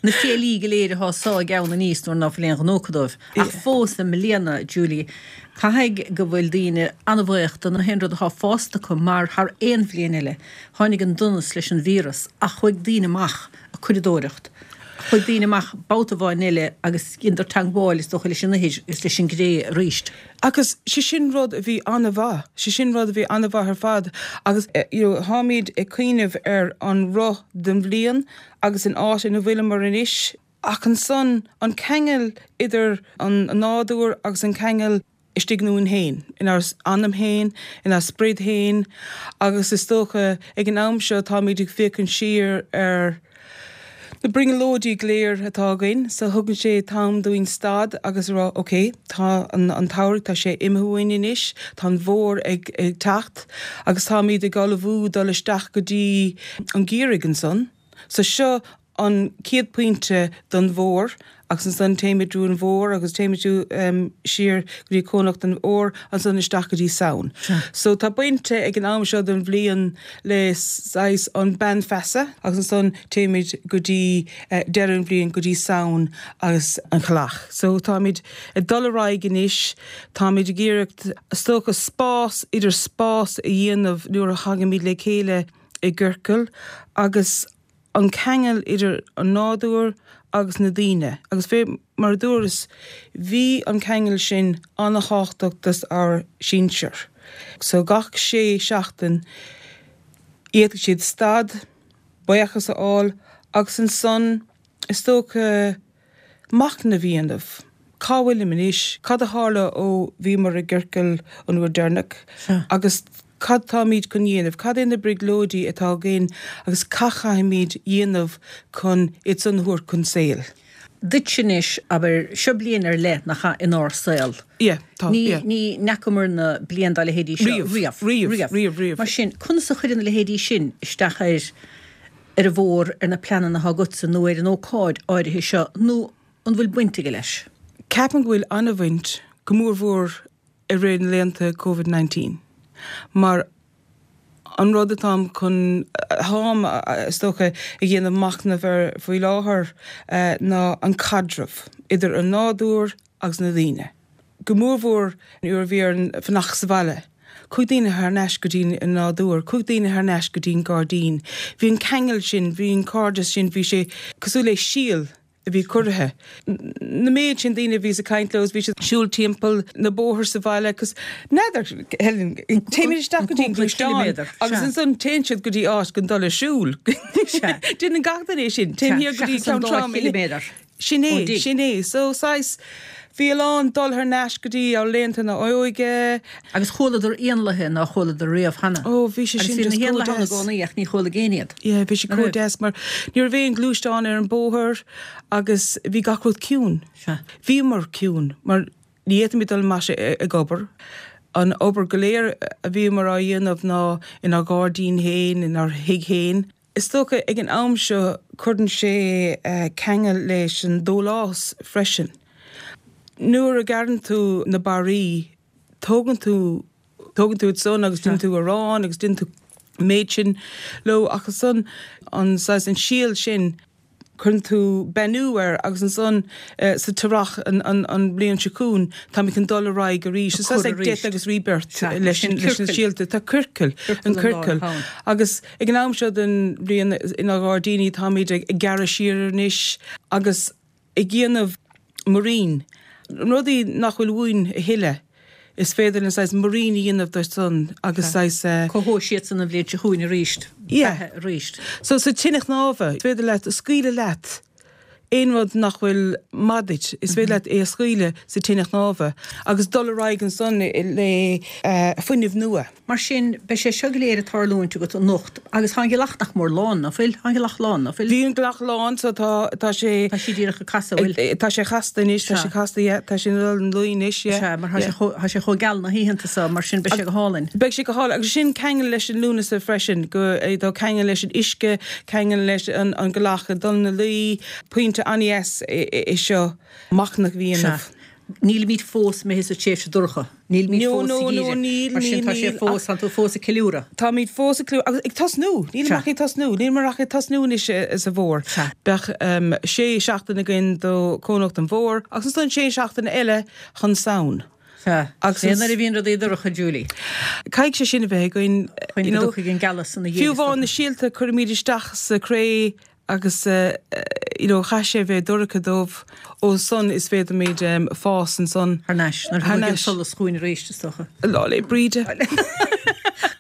A: Na fiailí go léir atá ag sá a gceann aníos nuair ná fuil aon ghnó acu dóibh. Ach fós i mbliana, Julie, caithfidh go bhfuil daoine an-bhuíoch do na haon rud atá fásta acu mar thar aon bhliain eile, tháinig an donas leis an víreas ach chuaigh daoine amach ag curadóireacht. Chuaigh daoine amach babhta amháin eile agus dheineadar teangmháil is dócha leis an ithir agus leis an gcré arís.
F: Agus sé sin rud a bhí an-mhaith, sé sin rud a bhí an-mhaith ar fad agus you know táimid ag cuimhneamh ar an roth den bhliain agus an áit ina bhfuileamar anois ach ansan an ceangal idir an nádúr agus an ceangal istigh ionainn féin, inár anam féin, inár sprid féin agus is dócha ag an am seo táimid ag féachaint siar ar na brionglóidí go léir atá againn so thugann sé t-am dúinn stad agus a rá ok tá an an tsamhradh tá sé imithe uainn anois, tá an bhfómhar ag ag teacht agus táimid ag ullmhú dul isteach go dtí an geimhreadh ansan so seo an chéad pointe don bhfómhar agus ansan téimid trú an bhfómhar agus téimid siar go dtí cónocht an fhómhair ansan isteach go dtí Samhain. So tá bainte ag an am seo den bhliain le saghas an bean feasa agus ansan téimid go dtí deireadh an bhliain go dtí Samhain agus an chailleach. So táimid ag dul ar aghaidh anois, táimid ag iarracht is dócha spás idir spás a dhéanamh nuair a thagaimid le chéile i gciorcal agus an ceangal idir an nádúr agus na daoine agus fé mar a dúras bhí an ceangal sin ana-thábhachtach dos ár sinsir. So gach sé seachtain d'fhéadfadh siad stad, buíochas a fháil agus ansan is dócha machnamh a dhéanamh. Cá bhfuilim anois? Cad a tharla ó bhíomar i gciorcal an uair deireanach? Agus cad táimid chun dhéanamh? Cad é na brionglóidí atá againn agus cad chaithfimid dhéanamh chun iad san a thabhairt chun saoil?
A: Duitse anois, abair, seo bliain ar leith, nach ea, inár saol.
F: Yeah, tá,
A: Ní, yeah. ní fhacamarna bliain dá leithéidí seo
F: Riamh, riamh. riamh, riamh, riamh.
A: Mar sin, conas a chuireann a leithéidí sin isteach ar ar an bhfómhar, ar na pleananna atá agatsa nó ar an ócáid áirithe seo, nó an bhfuil baint aige leis?
F: Ceapaim go bhfuil an-bhaint, go mórmhór i rith na laethanta Covid 19, mar an rud atáim chun, atáim, is dócha, ag déanamh machnamh air faoi láthair ná an caidreamh idir an nádúr agus na daoine. Go mórmhór nuair a bhí orainn fanacht sa bhaile. Chuaigh daoine thar n-ais go dtí an nádúr, chuaigh daoine thar n-ais go dtí an gairdín. Bhí an ceangal sin, bhí an cairdeas sin, bhí sé cosúil le síol. a bhí curtha. Na méid sin daoine a bhíos ag caint leo is bhí siad ag siúl timpeall na bóthar sa bhaile agus n'fheadar, Helen, téimid isteach go dtí an gluaisteán agus ansan téann siad go dtí áit chun dul ag siúl. Déanann gach duine é sin. Téim thiar go dtí Ceann Trá. Sin é, sin é. So, saghas, bhí a lán dul thar n-ais go dtí ár laethanta na h-óige.
A: Agus chualadar éanlaithe nár chualadar riamh cheana.
F: Ó, bhí sé
A: sin
F: just
A: Agus bhí
F: na
A: héanlaithe ann i gcónaí ach ní chualaigh éinne iad.
F: Yeah, bhí sé chomh deas mar ní raibh aon ghluaisteán ar an bóthar agus bhí gach rud ciúin.
A: Sea.
F: Bhíomar ciúin mar ní fhéadfaimid dul amach ag obair. An obair go léir a bhíomar á dhéanamh ná inár ngairdín féin, inár thigh féin. Is dócha ag an am seo cuireann sé ceangal leis an dólás freisin. Nuair a ghearrann tú na barraí, tógann tú, tógann tú iad san agus déanann tú arán agus déanann tú an méid sin leo ach ansan an saghas, an síol sin, cuireann tú beannú air agus ansan sa t-earrach an bhliain seo chugainn táimid chun dul ar aghaidh arís. Is saghas like death agus rebirth leis na síolta. Tá ciorcal, an ciorcal. Agus ag an am seo den bhliain inár ngairdíní táimid ag gearradh siar anois agus ag déanamh muirín, rudaí nach bhfuil uainn a thuilleadh, is féidir linn saghas muirín a dhéanamh de san agus saghas.
A: Cothóidh siad san an bhliain seo chugainn arís, beatha arís.
F: So sa tine chnámha, is féidir leat scaoileadh leat aon rud nach bhfuil maith duit, is féidir leat é a scaoileadh sa tine chnámha agus dul ar aghaidh ansan le fuinneamh nua.
A: Mar sin, beidh sé seo go léir ag tarlúint agat anocht agus tá an ghealach nach mór lán, ná fuil? Tá an ghealach lán, ná fuil?
F: Bhí an ghealach lán, so tá, tá sé.
A: Tá sí díreach ag casadh, bhfuil?
F: Tá sé casta anois, tá sé casta, yeah, tá sé ina luí anois, yeah.
A: Sea, mar tá sé chomh, tá sé chomh geal na hoícheanta seo, mar sin beidh sé go hálainn.
F: Beidh sé go hálainn, agus sin ceangal leis an Lúnasa freisin, go, tá ceangal leis an uisce, ceangal leis an, an ghealach ag dul ina luí, pointe an-dheas é seo, machnamh a dhéanamh.
A: Sea. Nílimid fós imithe sa tréimhse dorcha. Nílimid
F: No,
A: fós sa
F: no, no,
A: gheimhreadh.
F: níl,
A: Mar sin
F: níl,
A: tá sé
F: níl,
A: fós,
F: ach
A: tá tú fós ag ceiliúradh.
F: Táimid fós ag ceiliúradh, agus ag tosnú, nílim
A: Sea.
F: ach ag tosnú, nílimid ach ag tosnú anois sa bhfómhar.
A: Sea.
F: Beidh sé seachtaine againn do Cónocht an Fhómhair agus ansan sé seachtaine eile chun Samhain.
A: Sea.
F: Agus
A: Sé nuair a bhíonn rudaí dorcha, Julie.
F: Caithfidh sé sin a bheith againn,
A: Chun
F: you
A: go
F: know.
A: dtiocfaidh an gealas ina dhiaidh,
F: Fiú
A: is
F: amháin
A: dócha.
F: na síolta a cuirimid isteach sa chré agus you know chaith sé bheith dorcha dóibh ó san is féadfaimid fás ansan.
A: Thar n-ais, nuair a
F: Thar
A: thagann
F: n-ais.
A: solas chugainn arís, is dócha.
F: Lá 'le Bríde.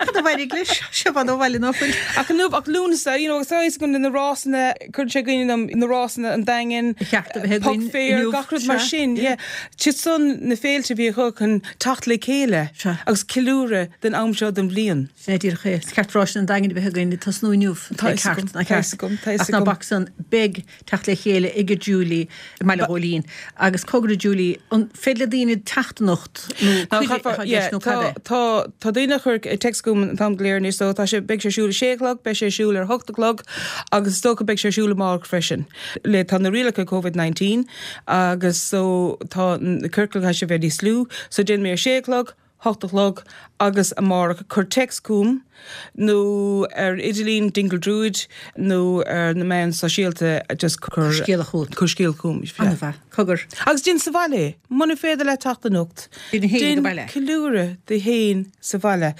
A: Cad a mhairfidh leis? Seo fad ó bhaile ná fuil.
F: Ach inniu, ach Lúnasa, you know, agus tá a fhios agam na rásanna, cuireann sé i gcuimhne dom na rásanna an Daingin,
A: Ba cheart a bheith
F: Puc
A: againn
F: Fair,
A: inniu,
F: gach rud mar
A: sea,
F: sin,
A: yeah.
F: yeah. Siad san na féilte a bhí acu chun teacht le chéile
A: Sea.
F: agus ceiliúradh den am seo den bhliain.
A: Sin é díreach é. Is ceart Ráis an Daingin a bheith againn ag tosnú inniu.
F: Tá a fhios agam,
A: Ceart, nach
F: tá a
A: ceart?
F: fhios agam, tá a fhios
A: Ach ná
F: agam.
A: bac san, beidh teacht le chéile ag Julie i mBaile Ghóilín. Agus cogar a Julie, an féidir le daoine teacht anocht nó
F: Ná
A: cuireadh
F: caithfear,
A: atá i
F: yeah,
A: gceist nó
F: tá,
A: cad é?
F: tá, tá daoine ag cur text chugam an t-am go léir anois so tá sé, beidh sé ar siúl a sé a chlog, beidh sé ar siúl ar hocht a chlog agus is dócha beidh sé ar siúl amárach freisin. Le, tá na rialacha Covid 19 agus so tá na ciorcail caithfidh sé bheith níos lú so déanfaidh mé a sé a chlog, hocht a chlog agus amárach cuir téacs chugam nó ar idirlíon Dingle Druid nó ar na meáin sóisialta just
A: cuir scéala chugat.
F: Cuir scéala chugam.
A: An-mhaith. Cogar.
F: Agus déan sa bhaile é. Muna féidir leat teacht anocht,
A: Déan féin
F: déan
A: ag baile.
F: ceiliúradh duit féin sa bhaile.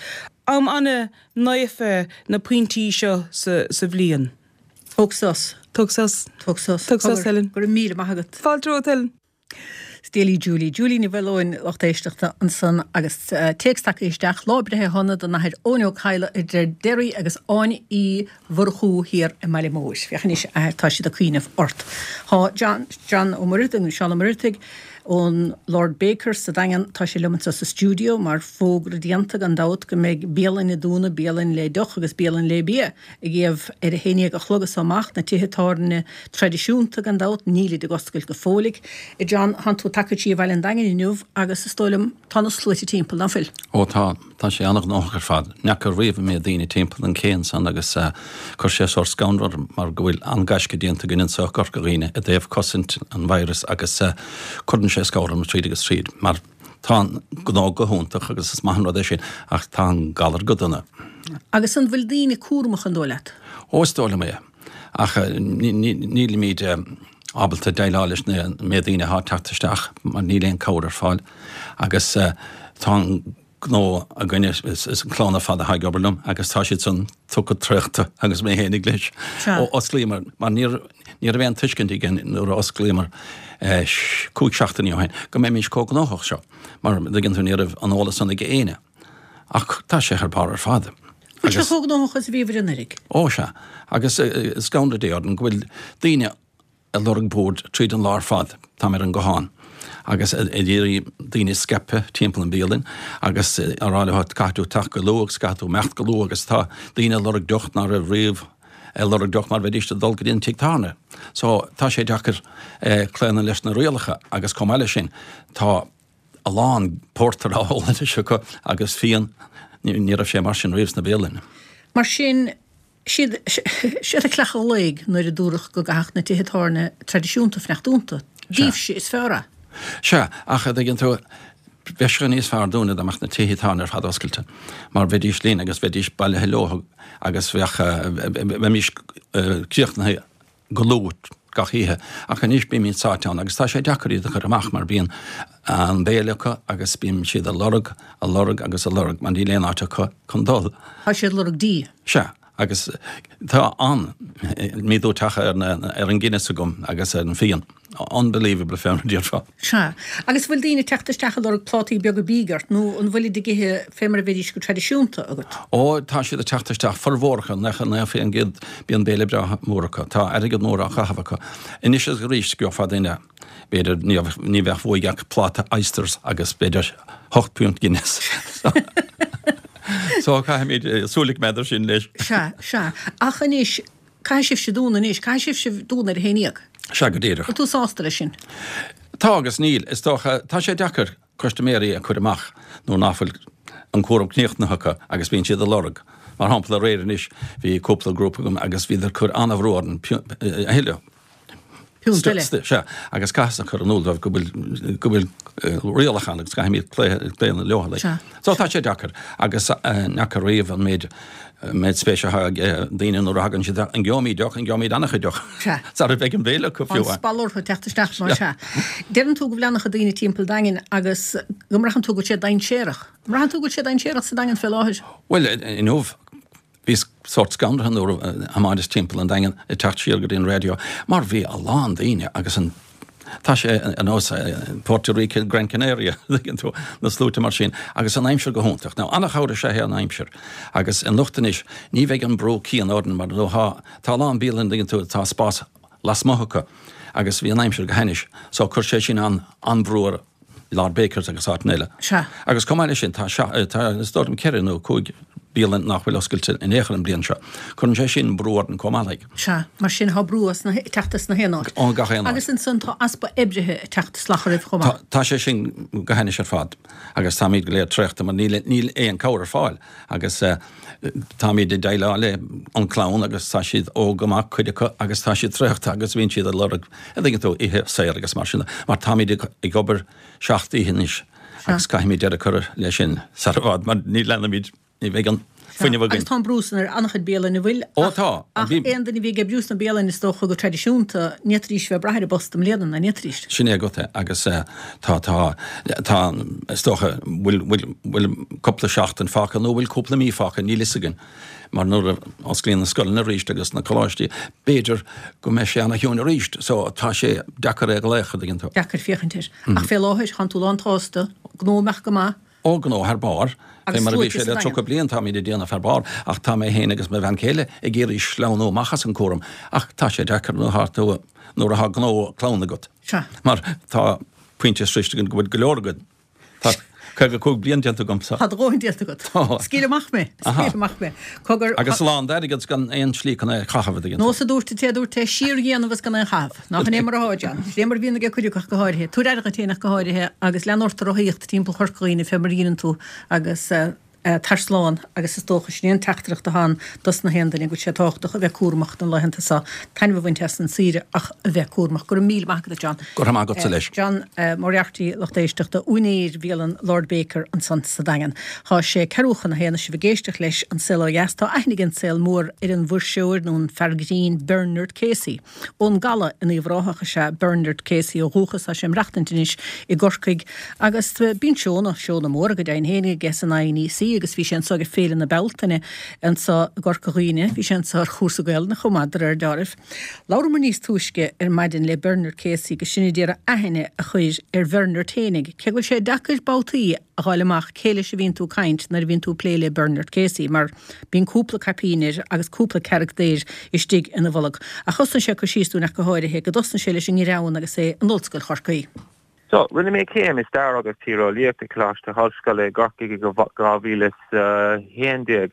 F: Am an-naofa na pointí seo sa bhliain.
A: Tóg sos.
F: Tóg sos.
A: Tóg sos.
F: Tóg sos,
A: Cogar.
F: Helen.
A: Go raibh míle maith agat.
F: Fáilte romhat, Helen.
A: Scéalaí Julie, Julie Ní Mhaoileoin, lucht éisteachta ansan agus téacs tagtha isteach, Lá breithe shona don Athair Eoin Ó Cadhla idir Derry agus Áine Uí Mhurchú thiar i mBaile Móir. Féach anois a athair, tá siad ag cuimhneamh ort. Tá John, John Ó Muircheartaigh nó Seán Ó Muircheartaigh ón Lord Baker sa Daingean, tá sé liom anseo sa stiúideo mar fógra déanta gan dabht go mbeidh bialann ag dúnadh, bialann le deoch agus bialann le bia. Ag iamh ar a haon dhéag a chlog as so amach, na tithe tábhairne traidisiúnta, gan dabht, nílid ag oscailt go fóilligh. A John, thánn tú tagtha siar Bhaile an Daingin inniu agus is dóigh liom, tá na sluaite timpeall, ná fuil?
G: Ó tá, tá sé an-ghnóthach ar fad. N'fheaca riamh an méid daoine timpeall an cé ansan agus chuir sé sórt scanradh orm mar go bhfuil an-gaisce déanta againn anso i gCorca Dhuibhne i dtaobh cosaint an virus agus cuireann sé scanradh orm tríd agus tríd mar Tá an gnó go hiontach agus is maith an rud é sin, ach tá an galar go dona.
A: Agus an bhfuil daoine cúramach an dóigh leat?
G: Ó, is dóigh liom é. Ach nílimid ábalta déileáil leis an méid daoine atá ag teacht isteach mar níl aon cabhair ar fáil. Agus tá an gnó againne, is an clann ar fad atá ag obair liom agus tá siad san tugtha traochta agus mé fhéinig leis. Ó osclaíomar, mar níor. Ní raibh aon tuiscint againn nuair a osclaíomar 5 seachtainí ó shin go mbeimis chomh gnóthach seo, mar an dtuigeann tú ní raibh an eolas san ag éinne. Ach tá sé thar barr ar fad.
A: Bhfuil sé chomh gnóthach is a bhíobhair anuraidh?
G: Ó sea. Agus scanradh Dé orainn go bhfuil daoine ag lorg boird tríd an lá ar fad, táim ar an guthán agus ag iarraidh daoine a scaipeadh timpeall an bhialann agus á rá leo caithfidh tú teacht go luath agus caithfidh tú imeacht go luath agus tá daoine ag lorg deoch ná raibh riamh ag lorg deoch mar bheidís ag dul go dtí an tigh tábhairne. So tá sé deacair claonadh leis na rialacha agus chomh maith leis sin tá a lán pórtair á ól anois acu agus fíon, ní raibh sé mar sin riamh sna bialanna.
A: Mar sin, siad siad a chleacha ghlaoigh nuair a dúradh go gcaithfeadh na tithe tábhairne traidisiúnta fanacht dúnta. Daoibhse is fearr é.
G: Sea, ach a dtuigeann tú, bheadh sé níos fearr dúinne dá mbeadh na tithe tábhairne ar fad oscailte, mar bheidís linn agus bheidís bailithe leo agus bheadh, bheimis críochnaithe go luath gach oíche. Ach anois bímid sáite ann agus tá sé deacair iad a chur amach mar bíonn an béile acu agus bíonn siad ag lorg, ag lorg agus ag lorg mar níl aon áit acu chun dul.
A: Tá siad ag lorg dí.
G: Sea, agus tá an-méadú tagtha ar an Guinness agam agus ar an bhfíon. Unbelievable fé mar a déarfá.
A: Sea. Agus an bhfuil daoine ag teacht isteach ag lorg plátaí beaga bídh ort nó an bhfuilid ag ithe fé mar a bheidís go traidisiúnta agat?
G: Ó, tá siad ag teacht isteach, formhór acu, 99% bíonn béile breá mór acu. Tá airgead mór á chaitheamh acu. Anois is arís, gheofá duine, b'fhéidir, ní bheadh uaidh ach pláta oysters agus b'fhéidir hocht bpiúnt Guinness. So caithfimid súil a choimeád air sin leis.
A: Sea, sea. Ach anois, Caithfidh sibhse dúnadh anois. Caithfidh sibhse dúnadh ar a haon dhéag.
G: Sea, go díreach.
A: Bhfuil tú sásta leis sin?
G: Tá agus níl. Is dócha, tá sé deacair custaiméirí a chur amach nuair ná fuil an cúram críochnaithe acu agus bíonn siad ag lorg. Mar shampla, aréir anois, bhí cúpla grúpa agam agus bhíodar ag cur an-bhrú orainn a thuilleadh.
A: Piúnt eile.
G: Sea, agus caithfeadsa a chur in iúl dóibh go bhfuil, go bhfuil rialacha ann agus caithfimid claonadh leo.
A: Sea.
G: So tá sé deacair agus n'fheaca riamh an méid, méid spéise atá ag daoine nuair a thagann siad, an gheobhaimid deoch, an gheobhaimid an-chuid deoch?
A: Sea.
G: Sara bheidh an béile acu fiú.
A: An spalpadh orthu teacht isteach mar sea. Deireann tú go bhfuil an-chuid daoine timpeall an Daingin agus go mbraitheann tú go bhfuil sé dainséarach. An mbraitheann tú go bhfuil sé dainséarach sa Daingean fé láthair?
G: Bhuel, inniu, Bhíos sórt scanraithe nuair a thiomáineas timpeall an Daingin ag teacht siar go dtí an raidió mar bhí a lán daoine agus an, tá sé ar nós Puerto Rico, Gran Canaria, tuigeann tú, na sluaite mar sin agus an aimsir go hiontach. Now an-chabhair is ea é an aimsir agus anocht anois ní bheidh an brú céanna orainn mar nó tá, tá a lán bialann, tuigeann tú, tá spás lasmuigh acu agus bhí an aimsir go hainnis so chuir sé sin an, an-bhrú ar Lord Bakers agus áiteanna eile.
A: Sea.
G: Agus chomh maith leis sin, tá, tá, is dóigh liom ceithre nó cúig bialann nach bhfuil oscailte in aon chor an bhliain seo. Cuireann sé sin brú orainn chomh maith like.
A: Sea. Mar sin tá brú as na, ag teacht as na haon áit.
G: Ó gach aon áit.
A: Agus ansan tá easpa oibrithe ag teacht salach oraibh chomh maith.
G: Tá, tá sé sin go hainnis ar fad agus táimid go léir traochta mar níl, níl aon cabhair ar fáil agus eh, táimid ag déileáil le an clann agus tá siad óg go maith, cuid acu, agus tá siad traochta agus bíonn siad ag lorg, a dtuigeann tú, oíche saor agus mar sin de, mar táimid ag obair seacht oíche anois agus caithfimid deireadh a chur leis sin sar i bhfad mar ní leanfaimid, ní bheidh an fuinneamh againn.
A: Agus tá an brú san ar an-chuid bialann, an bhfuil?
G: Ó tá.
A: Ach aon duine a bhí ag oibriú sna bialainn is dócha go traidisiúnta, ní fhéadfaidís bheith ag brath ar a bpost i mbliana, ná ní fhéadfaidís?
G: Sin é agat é agus tá, tá, tá, is dócha, bhfuil, bhfuil, bhfuil cúpla seachtain fágtha nó bhfuil cúpla mí fágtha, níl fhios againn. Mar nuair a osclaíonn na scoileanna arís agus na coláistí, b'fhéidir go mbeidh sé ana-chiúin arís. So tá sé deacair é a ghlaoch, a dtuigeann tú.
A: Deacair féachaint air. Ach fé láthair, tánn tú lán tsásta, gnó ag imeacht go maith.
G: Ó, gnó thar barr. Fé mar a bhí sé le 30 bliain, táimid ag déanamh thar barr, ach tá mé féin agus mo bhean chéile ag iarraidh sleamhnú amach as an cúram, ach tá sé deacair nuair atá tú, nuair atá gnó clann agat.
A: Sea.
G: Mar tá pointe sroichte againn go bhfuil go leor againn. Tá 55 bliain déanta agamsa.
A: Tá do dhóthain déanta agat.
G: Tá.
A: Scaoil amach mé. Scaoil amach mé. Cogar.
G: Agus a lán d'airgead 's gan aon slí chun é a chaitheamh, a dtuigeann
A: tú. Nós a dúirt an té a dúirt é, síordhéanamh is gan aon chaitheamh. Nach in é mar atá, John? Sin é mar a bhíonn ag cuid acu ach go háirithe. Tabhair aire duit féin ach go háirithe agus lean ort ag rothaíocht timpeall Chorca Dhuibhne fé mar a dheineann tú agus tar slán agus is dócha sin é an teachtaireacht atá ann dos na haon duine go bhfuil sé tábhachtach a bheith cúramach na laethanta seo, taitneamh a bhaint as an saoire ach a bheith cúramach. Go raibh míle maith agat a John.
G: Go raibh maith agatsa leis.
A: John Moriarty, lucht éisteachta, úinéir bhialann Lord Baker ansan sa Daingean. Tá sé ceathrú chun a haon is sibh ag éisteacht leis An Saol Ó Dheas. Tá aithne ag an saol mór ar an bhfuirseoir nó an fear grinn Bernard Casey. Ón gCaladh in Uíbh Ráthach is ea Bernard Casey ó dhúchas. Tá sé ag maireachtaint anois i gCorcaigh agus bíonn seónna, seónna móra go deimhin féin aige san INEC. Chorcaí agus bhí sé anso ag Féile na Bealtaine anso i gCorca Dhuibhne. Bhí sé anso ar chúrsa Gaelainne chomh maith, de réir deáraimh. Labhramar níos túisce ar maidin le Bernard Casey agus sinn a d'iarraidh aithne a chur ar Bhernard fhéinig, cé go bhfuil sé deacair babhtaí a dh'fháil amach cé leis a bhíonn tú ag caint nuair a bhíonn tú ag plé le Bernard Casey mar bíonn cúpla caipín air agus cúpla carachtar istigh ina bholg. Ach thosnaigh sé ag cur síos dúinn ach go háirithe go dtosnaigh sé leis an ngreann agus é in Ollscoil Chorcaí.
H: So, rinne mé céim i Stair agus Tíreolaíocht i Coláiste hOllscoile i gCorcaigh i 2011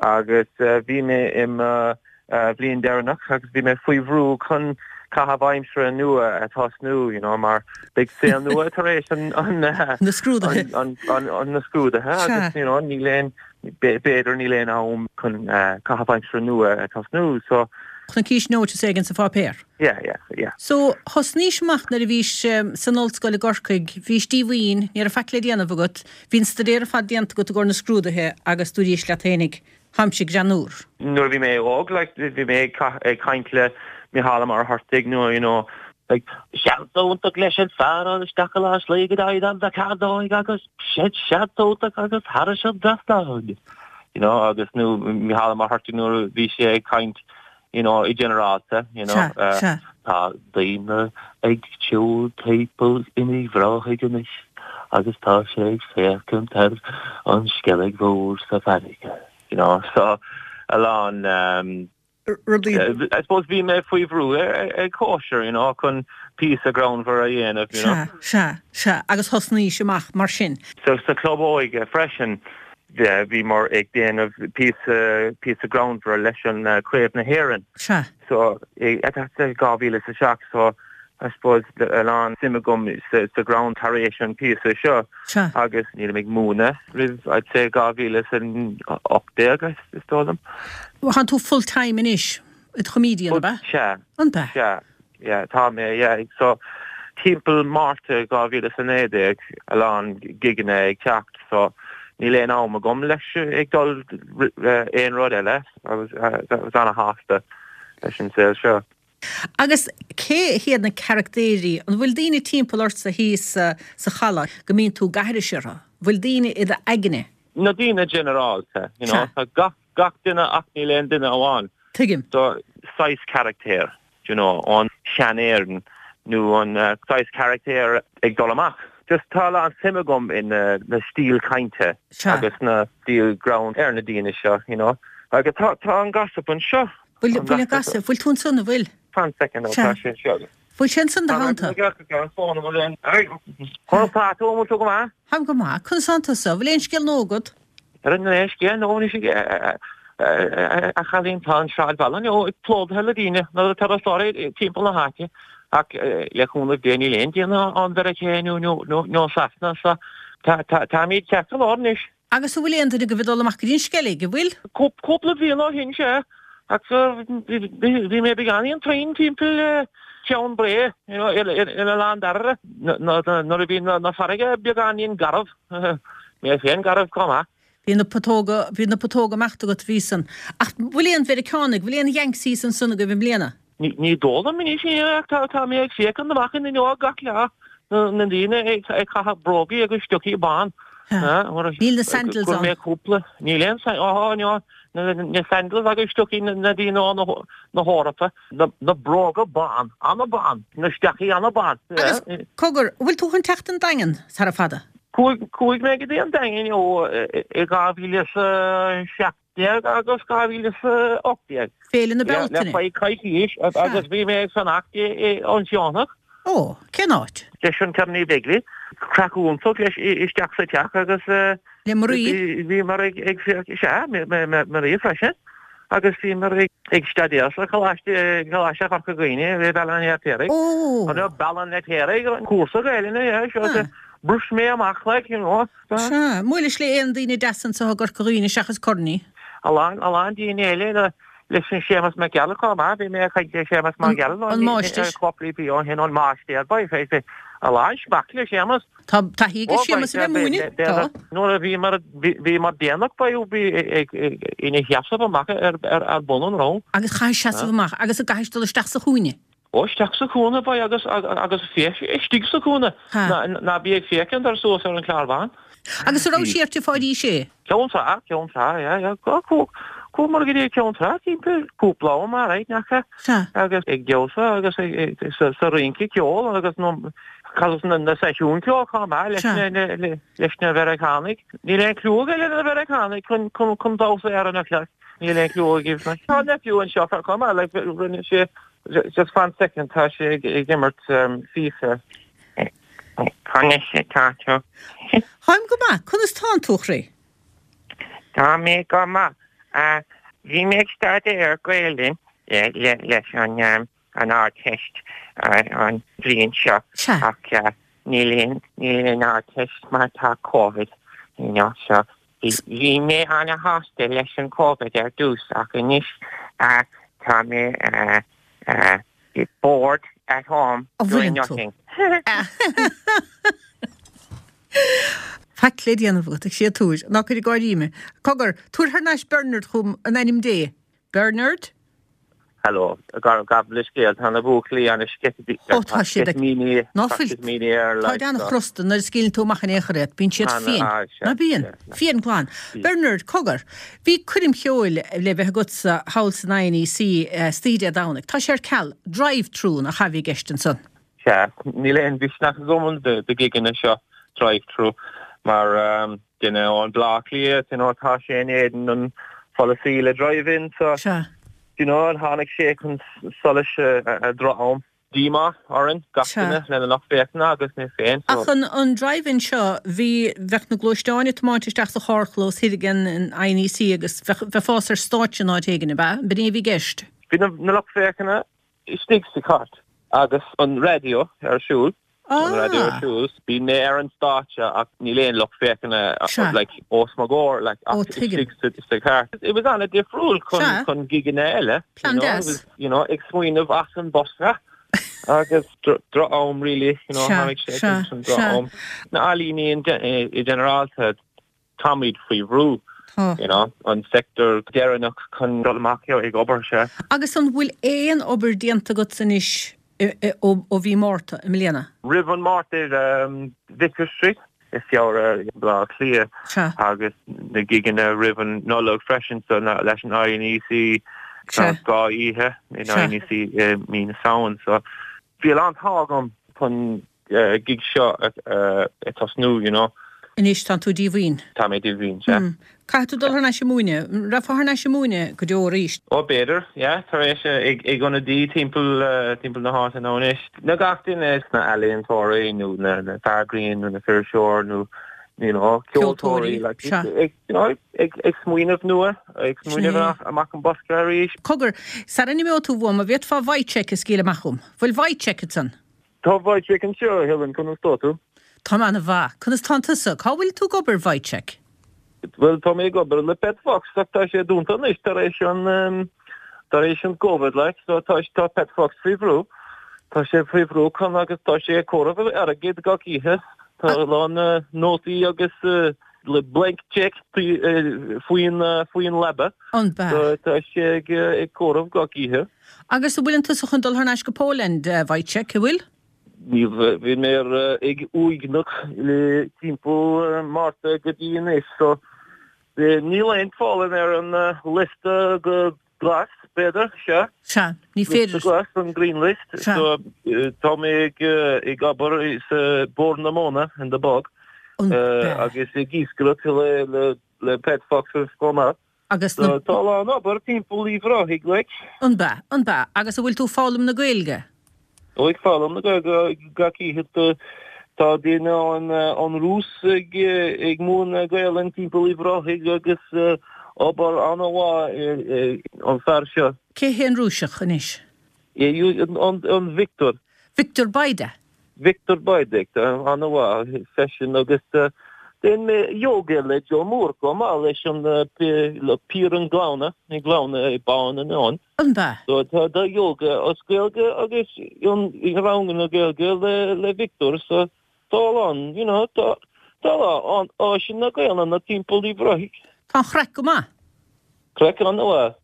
H: agus bhí mé i mo bhliain deireanach agus bhí mé faoi bhrú chun caitheamh aimsire nua a tosnú, you know, mar beidh saol nua tar éis an, an,
A: Na scrúduithe.
H: an, an, an, na scrúduithe agus, you know, níl aon, b'fhéidir níl aon am chun caitheamh aimsire nua a tosnú, so.
A: Chonaicis notice éigin sa pháipéar.
H: Yeah, yeah, yeah.
A: So, thosnaís amach nuair a bhís san ollscoil i gCorcaigh, bhís díomhaoin, ní raibh faic le déanamh agat, bhí an staidéar ar fad déanta agat i gcomhair na scrúduithe agus dúraís leat fhéinig, táimse greannúr.
H: Nuair a bhí mé óg, like, bhí mé ag caint le Micheál Ó Muircheartaigh nó, you know, like, seans iontach leis an fear ann isteach i lár slí go dtí an mheicneoig agus seans iontach agus thairis an trasnán, you know, agus nó Micheál Ó Muircheartaigh nuair a bhí sé ag caint you know, i ginearálta, you know,
A: Sea, sea.
H: tá daoine ag siúl timpeall in Uíbh Ráthaigh anois agus tá sé ag féachaint ar an Sceilg Mhór sa bhfarraige, you know, so a lán um,
A: Rudaí.
H: I suppose bhí mé faoi bhrú ag cóisir, you know, chun píosa greannmhar a dhéanamh, you know.
A: Sea, sea, sea, agus thosnaís amach mar sin.
H: So sa chlub óige freisin, Bhíomar ag déanamh píosa, píosa greannmhar leis an Craobh na hÉireann.
A: Sea.
H: So, that's 2007, so I suppose a lán suim agam sa ghreann tar éis an píosa seo.
A: Sea.
H: Agus nílim ag múineadh roimh, I'd say 2018, is dóigh liom.
A: Tánn tú full time anois, i do chomedian, ab ea?
H: Sea.
A: An ea?
H: Sea. Yeah, tá mé, yeah. So, timpeall Márta 2019, a lán gigeanna ag teacht, so níl aon am agam leis ag dul aon rud eile. I was, I was ana-shásta leis an saol seo.
A: Agus cé hiad na caractéirí, an bhfuil daoine timpeall ortsa thíos sa chaladh go mbíonn tú ag aithris orthu? Bhfuil daoine i d'aigne?
H: Na daoine ginearálta, you know, tá gach, gach duine ach níl aon duine amháin.
A: Tuigim.
H: So, saghas caractéir. you know, ón sean-Éirinn nó an saghas caractéir ag dul amach. Just tá a lán suim agam in na stíl cainte agus na stíl greann ar na daoine seo, you know. Agus tá tá an gossip anseo.
A: Bhfuil bhfuil an gossip, bhfuil tú ansan, an bhfuil?
H: Fan second now, tá sé anseo.
A: Bhfuil sé ansan do theannta?
H: Conas tá tú, an bhfuil tú go maith?
A: Táim go maith. Conas tánn tusa? Bhfuil aon scéal nua agat?
H: Ar an aon scéal nua anois a chailín tá an sráidbhaile inniu plódaithe le daoine, na turasóirí timpeall na háite ach le cúnamh Dé níl aon duine ón Mheiriceá nó Sasana so táimid ceart go leor anois.
A: Agus an bhfuil aon duine agaibh ag dul amach go dtí an Sceilg, an bhfuil?
H: Cúpla bliain ó shin sea ach bhí mé beagáinín tinn timpeall Cheann Bré in Oileán Dairbhre nuair a bhí na farraige beagáinín garbh. Mé féin garbh chomh maith.
A: Bhí na putóga, bhí na putóga ag imeacht agat, bhí san. Ach bhfuil aon Mheiriceánaigh, bhfuil aon Yanks thíos ansan agaibh i mbliana?
H: Ní, ní dóigh liom anois é ach tá, tá mé ag féachaint amach an fhuinneog gach lá, na daoine ag, ag caitheamh brógaí agus stocaí bán.
A: Níl na sandals
H: ann. Mé cúpla, níl aon, oh, no, na sandals agus stocaí na daoine ó na hEorpa. Na bróga bán, an-bán, na stocaí an-bán.
A: Agus, cogar, an bhfuil tú chun teacht an Daingean sara fada?
H: Chuaigh mé go dtí an Daingean ó i 2017 agus 2018.
A: Féile na Bealtaine.
H: Le faoi coicís agus bhí mé ag fanacht i an Sionnach.
A: Ó, cén áit?
H: Leis an Kearney Begley. Craic iontach leis isteach sa teach agus.
A: Le Marie?
H: Bhíomar ag ag sea, Marie freisin. Agus bhíomar ag staidéar sa Choláiste, Coláiste Chorca Dhuibhne i Bealach an Fheirtéaraigh.
A: Ó!
H: Bealach an Fheirtéaraigh, cúrsa Gaelainne, yeah, seo, bhris mé amach like, you know.
A: Sea, mbuailis le aon daoine deasa anseo i gCorca Dhuibhne seachas Kearney?
H: A lán, a lán daoine eile, leis an Séamus Mac Gearailt chomh maith, bhí mé ag caint le Séamus Mac Gearailt
A: An máistir.
H: cúpla bliain ó shin, an máistir, bhí a lán smacht le Séamus.
A: Tá taithí ag Séamus a bheith ag múineadh, tá.
H: Nuair a bhíomar, bhíomar déanach ba ina sheasamh amach ar bun an rang.
A: Agus chaithfidh seasamh amach agus an gcaithfidh dul isteach sa chúinne.
H: Ó, isteach sa chúinne, boy, agus, agus féach istigh sa chúinne. Ná, ná bí ag féachaint ar suas ar an chlár bhán.
A: Agus an raibh sí ar fáidís é?
H: Ceann Trá, Ceann Trá, yeah, yeah. Chuamar go dtí Ceann Trá timpeall cúpla am, alright, nach ea?
A: Sea.
H: Agus ag damhsa agus ag, sa, sa rince ceoil agus nó, agus na, na seisiúin ceoil chomh maith leis na, na, leis na Mheiriceánaigh. Níl aon clue aige na Mheiriceánaigh chun, chun, chun damhsa ar an chlár. Níl aon clue aige. Tá nephew anseo chomh maith, like, rinne sé, Just fan second, tá sé ag imirt FIFA.
I: Conas atá tú?
A: Táim go maith. Conas tánn tú, a chroí?
I: Tá mé go maith. Bhí mé ag staidéar Gaelainn leis an Ardteist an bhliain seo ach níl aon Ardteist mar tá Covid, you know, so Bhí mé ana-shásta leis an Covid ar dtús ach anois tá mé bored at home doing nothing.
A: Faic le déanamh agat, ag séatúir. Ná cuir ag gáirí mé. Cogar, tabhair thar n-ais Bernard chugam in ainm Dé. Bernard?
H: Hello. Gabh mo leithscéal, tá na buachaillí ana-sceitimíní.
A: Ó tá siad ag. Ná fuil. Táid an-chrosta nuair a scaoileann tú amach in aon chor iad. Bíonn siad fiain. Ná bíonn? Fiain glan. Bernard, cogar. Bhí coirm cheoil le bheith agatsa thall san INEC istoíche Dé Domhnaigh. Tá sé ar ceal. Drive through nach ea a bhí i gceist ansan?
H: Sea. Níl aon mhisneach agam do gigeanna seo drive through mar duine ón Bleá Cliath, you know, tá sé in éadan an pholasaí le drive-in so,
A: Sea.
H: you know, tháinig sé chun solais ag droch-am. Díomá orainn, gach
A: Sea.
H: duine, lena lucht féachana agus mé féin, so.
A: Ach an, an drive-in seo, bhí, bheadh na gluaisteáin ag tiomáint isteach sa charrchlós thoir ag an INEC agus bheadh, bheifeá ar stáitse in áit éigin, ab ea? B'in é a bhí i gceist?
H: Bhí na, na lucht féachana istigh sa chairt agus an raidió ar siúl. An raidió ar siúl. Bhí mé ar an stáitse ach níl aon lucht féachana like os mo gcomhair like ach istigh sa chairt. It was an-difriúil chun chun gigeanna eile.
A: Plean deas.
H: You know, ag smaoineamh as an bosca agus droch-am really, you know, tháinig sé chun droch-am. Na ealaíní i ginearálta táimid faoi bhrú, you know, an sector deireanach chun dul amach ag obair, sea.
A: Agus an bhfuil aon obair déanta agat anois ó mhí Márta i mbliana?
H: Roimh an Márta i Vicar Street, i Feabhra i mBleá Cliath agus na gigeanna roimh an Nollaig freisin, so leis an INEC, tá 2 oíche in INEC i mí na Samhain, so bhí a lán t-ádh agam chun gig seo ag tosnú, you know.
A: Anois tánn tú díomhaoin.
H: Tá mé díomhaoin, sea.
A: Caithfidh tú dul thar n-ais ag múineadh. An rachfá thar n-ais ag múineadh go deo arís?
H: Ó, b'fhéidir, yeah. Tar éis ag ionadaí timpeall, timpeall na háite nó anois. Na gach duine sna ealaíontóirí nó na fear grinn nó na fuirseoir nó, you know, ceoltóirí, like, ag, you know, ag, ag smaoineamh nua, ag smaoineamh amach an bosca arís.
A: Cogar, sara n-imeoidh tú uaim, an bhféadfá Wojciech a scaoileadh amach chugam? Bhfuil Wojciech ansan?
H: Tá Wojciech anseo, a Helen, conas tá tú?
A: Táim ana-mhaith. Conas tánn tusa? Cá bhfuil tú ag obair, Wojciech?
H: Bhuel, tá mé ag obair le Pet Fox ach tá sé dúnta anois tar éis an, tar éis an Covid like, so tá, tá Pet Fox faoi bhrú. Tá sé faoi bhrú chun agus tá sé ag comhaireamh airgid gach oíche. Tá a lán nótaí agus le blank check faoin, faoin leaba.
A: An b'ea?
H: So tá sé ag, ag comhaireamh gach oíche.
A: Agus an bhfuileann tusa chun dul thar n-ais go Poland, a Wojciech, an bhfuil?
H: Ní bhí mé ag uaigneach le timpeall Márta go dtí anois so níl aon Pholainn ar an liosta go glas, b'fhéidir,
A: sea. Sea, ní féidir.
H: Liosta glas, an green list.
A: Sea.
H: So tá mé ag obair sa Bord na Móna, in the bog, agus ag iascaireacht le Pet Foxes chomh maith.
A: Agus na.
H: Tá a lán obair timpeall Uíbh Ráthaigh like.
A: An b'ea? An b'ea? Agus an bhfuil tú ag foghlaim na Gaeilge?
H: Ó ag foghlaim na Gaeilge gach oíche. Tá duine ón Rúis ag ag múineadh Gaelainn timpeall Uíbh Ráthaigh agus obair an-mhaith an fear seo.
A: Cé hé an Rúiseach anois?
H: An Victor.
A: Victor Bajda.
H: Victor Bajda, an-mhaith seisean agus déan mé yoga le Joe Moore chomh maith leis an le Pier an Ghleanna, an Gleanna i Bán an Eoin.
A: An b'ea?
H: So tá do yoga as Gaeilge agus an ranganna Gaeilge le le Victor so tá a lán, you know, tá tá a lán áiseanna Gaelainne timpeall Uíbh Ráthaigh.
A: Tá an chraic go maith.
H: Craic an-mhaith.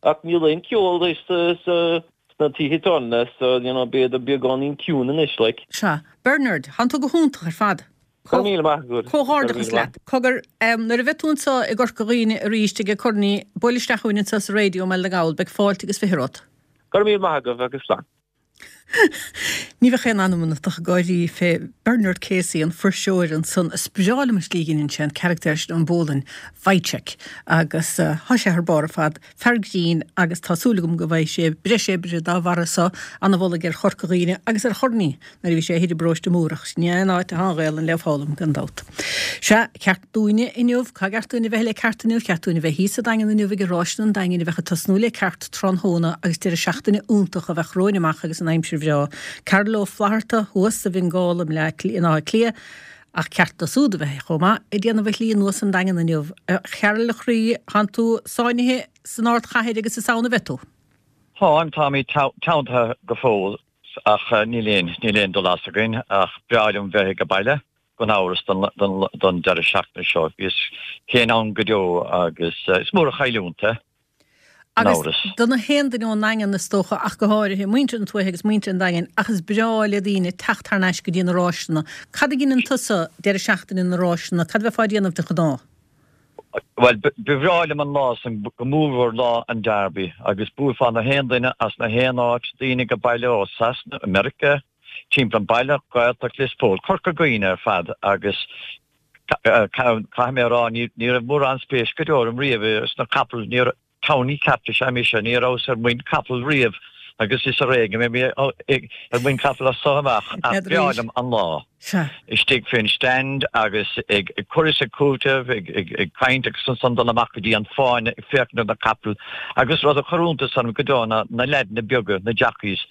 H: Ach níl aon ceol sna. sna tithe tábhairne so, you know, b'fhéidir beagáinín ciúin anois, like.
A: Sea. Bernard, thánn tú go hiontach ar fad.
H: Go raibh míle maith agat.
A: Comhghairdeachas leat. Cogar, nuair a bheidh tú anseo i gCorca Dhuibhne arís ag Corn, buail isteach chugainn anseo sa raidió i mBaile na nGall, beidh fáilte agus 20 romhat.
H: Go raibh míle maith agaibh agus slán.
A: Ní bheadh aon anam ionat ach ag gáirí fé Bernard Casey, an fuirseoir ansan. Is breá liom an slí a dheineann sé an carachtar sin ón bPolainn, Wojciech, agus tá sé thar barr ar fad. Fear grinn agus tá súil agam go bhfaighidh sé breis oibre dá bharra so, ana-mholadh ar Chorca Dhuibhne agus ar Chorn nuair a bhí sé thoir i bparóiste Múrach. Sin é an áit atá an Ghaelainn le foghlaim, gan dabht. Sea, ceart dúinne inniu, cá gceart dúinn a bheith le ceart inniu? Cheart dúinn a bheith thíos sa Daingean inniu ag Ráiseanna an Daingin a bheadh ag tosnú le ceart tráthnóna agus deireadh seachtaine iontach a bheadh romhainn amach agus an aimsir bhreá. Carol Ó Flatharta thuas sa Bhiongól i mBaile Átha Cliath Ach ceart dó súd a bheith chomh maith ag déanamh a shlí anuas an Daingean inniu. A Chearl a chroí, thánn tú sáinnithe san ardchathair agus is ann a bheidh tú.
J: Táim, táimid teanntaithe go fóill ach níl aon, níl aon dul as againn ach breá liom bheith ag baile gan amhras don, don, don deireadh seachtaine seo. Bhíos féin ann go deo agus is mór an chailliúint é.
A: gan Agus amhras. do na haon duine ón nDaingean is dócha ach go háirithe, muintir na tuaithe agus muintir an Daingin, ach is breá le daoine teacht thar n-ais go dtí na ráiseanna. Cad a dheineann tusa deireadh seachtaine na ráiseanna? Cad a bheifeá a déanamh de ghnáth?
J: Bhuel, ba bhreá liom an lá san, go mórmhór lá an Derby, agus buailfeá na haon duine as na haon áit, daoine ag baile ó Sasana, America, timpeall an baile, Gaeltacht Lios Póil, Corca Dhuibhne ar fad agus caithfidh mé a rá, ní raibh mórán spéis go deo orm riamh sna capaill, ní raibh, townie ceart is ea mise, ní rabhas ar muin capall riamh agus is ar éigean a mbeidh mé ar muin capall as so amach ach b'fhearr liom an lá istigh fén stand agus ag cur is ag cúiteamh, ag caint agus ansan dul amach go dtí an fáinne ag féachaint ar na capaill agus rud a chuir iontas orm go deo ná na leaideanna beaga, na jockeys.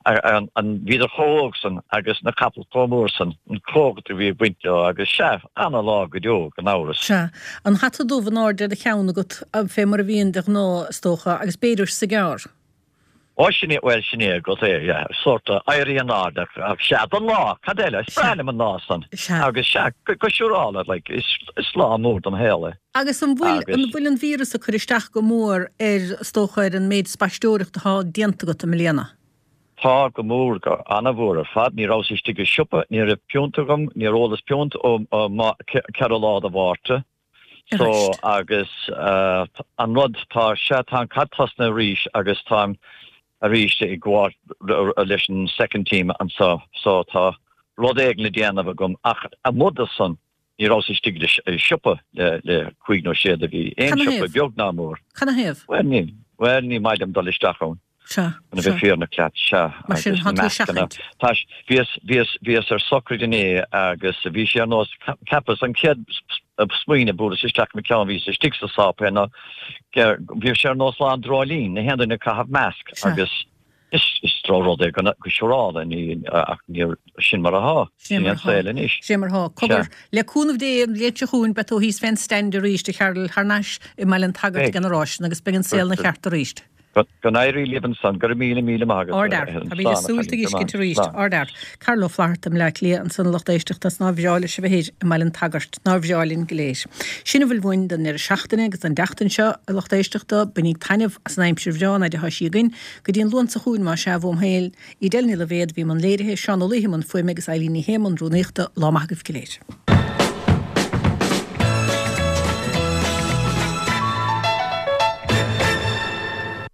J: an bhíodar chomh hóg san agus na capaill chomh mór san, an cumhacht a bhí ag baint leo agus sea, ana lá go deo, gan amhras.
A: Sea. An hata dubh in airde ar do cheann agat, fé mar a bhíonn de ghnáth, is dócha, agus b'fhéidir cigar.
J: Ó, sin é, bhuel, sin é agat é, yeah, sórt éirí in airde, ach sea, don lá, cad eile, is breá liom an lá san, agus sea, go siúrála, like, is, is lá mór dom shaol é.
A: Agus an bhfuil, an bhfuil an víreas ag cur isteach go mór ar, is dócha, ar an méid spaisteoireachta atá déanta agat i mbliana?
J: Tá, go mór, go ana-mhór ar fad. Ní rabhas istigh i siopa, ní raibh piúnt agam, níor ólas piúnt ó 4 lá de Mhárta. So, agus an rud, tá, sea, tá an caid tosnaithe arís agus táim arís ag gabháil leis an second team anso, so tá rud éigin le déanamh agam ach amuigh de san, Ní rabhas istigh i siopa le cúig nó sé de mhí, aon siopa, beag ná mór.
A: Canathaobh?
J: Bhuel, ní, bhuel, ní maith liom dul isteach ann.
A: Sea,
J: Chun a bheith fírinneach leat, sea.
A: Mar sin, tá tú ag seachaint.
J: Tá, bhíos, bhíos, bhíos ar socraid inné agus bhí sé ar nós, cheapas, an chéad smaoineamh a buaileas isteach i mo cheann, bhíos istigh sa sáipéal ná, bhí sé ar nós lá an dreoilín, na haon duine ag caitheamh masc agus, Is drochrud é go siúrála, ach níor, sin mar atá.
A: Sin é an saol anois. Sin é mar atá. Cogar, le cúnamh Dé, an bhliain seo chugainn beidh tú thíos fén stand arís, a Chearl, thar n-ais i mBaile an tSagairt ag na ráiseanna agus beidh an saol ina cheart arís.
J: Go n-éirí libh ansan. Go raibh míle, míle maith agat.
A: Ardfhear. Táimid ag súil tú a fheiscint arís. Ardfhear. Carl Ó Flatharta i mBleá Cliath ansan a lucht éisteachta is nár bhreá leis a bheith thoir i mBaile an tSagairt. Nár bhreá linn go léir. Sin a bhfuil uainn don ndeireadh seachtaine agus don tseachtain seo, a lucht éisteachta. Bainíg taitneamh as an aimsir bhreá an fhaid atá sí againn. Go dtí an Luan seo chugainn, más ea, uaim féin, Edel Ní Loibhéad a bhí i mbun léirithe, Seán Ó Laoithe i mbun fuaime agus Eilín Ní Shé i mbun rúnaíochta, lá maith agaibh go léir.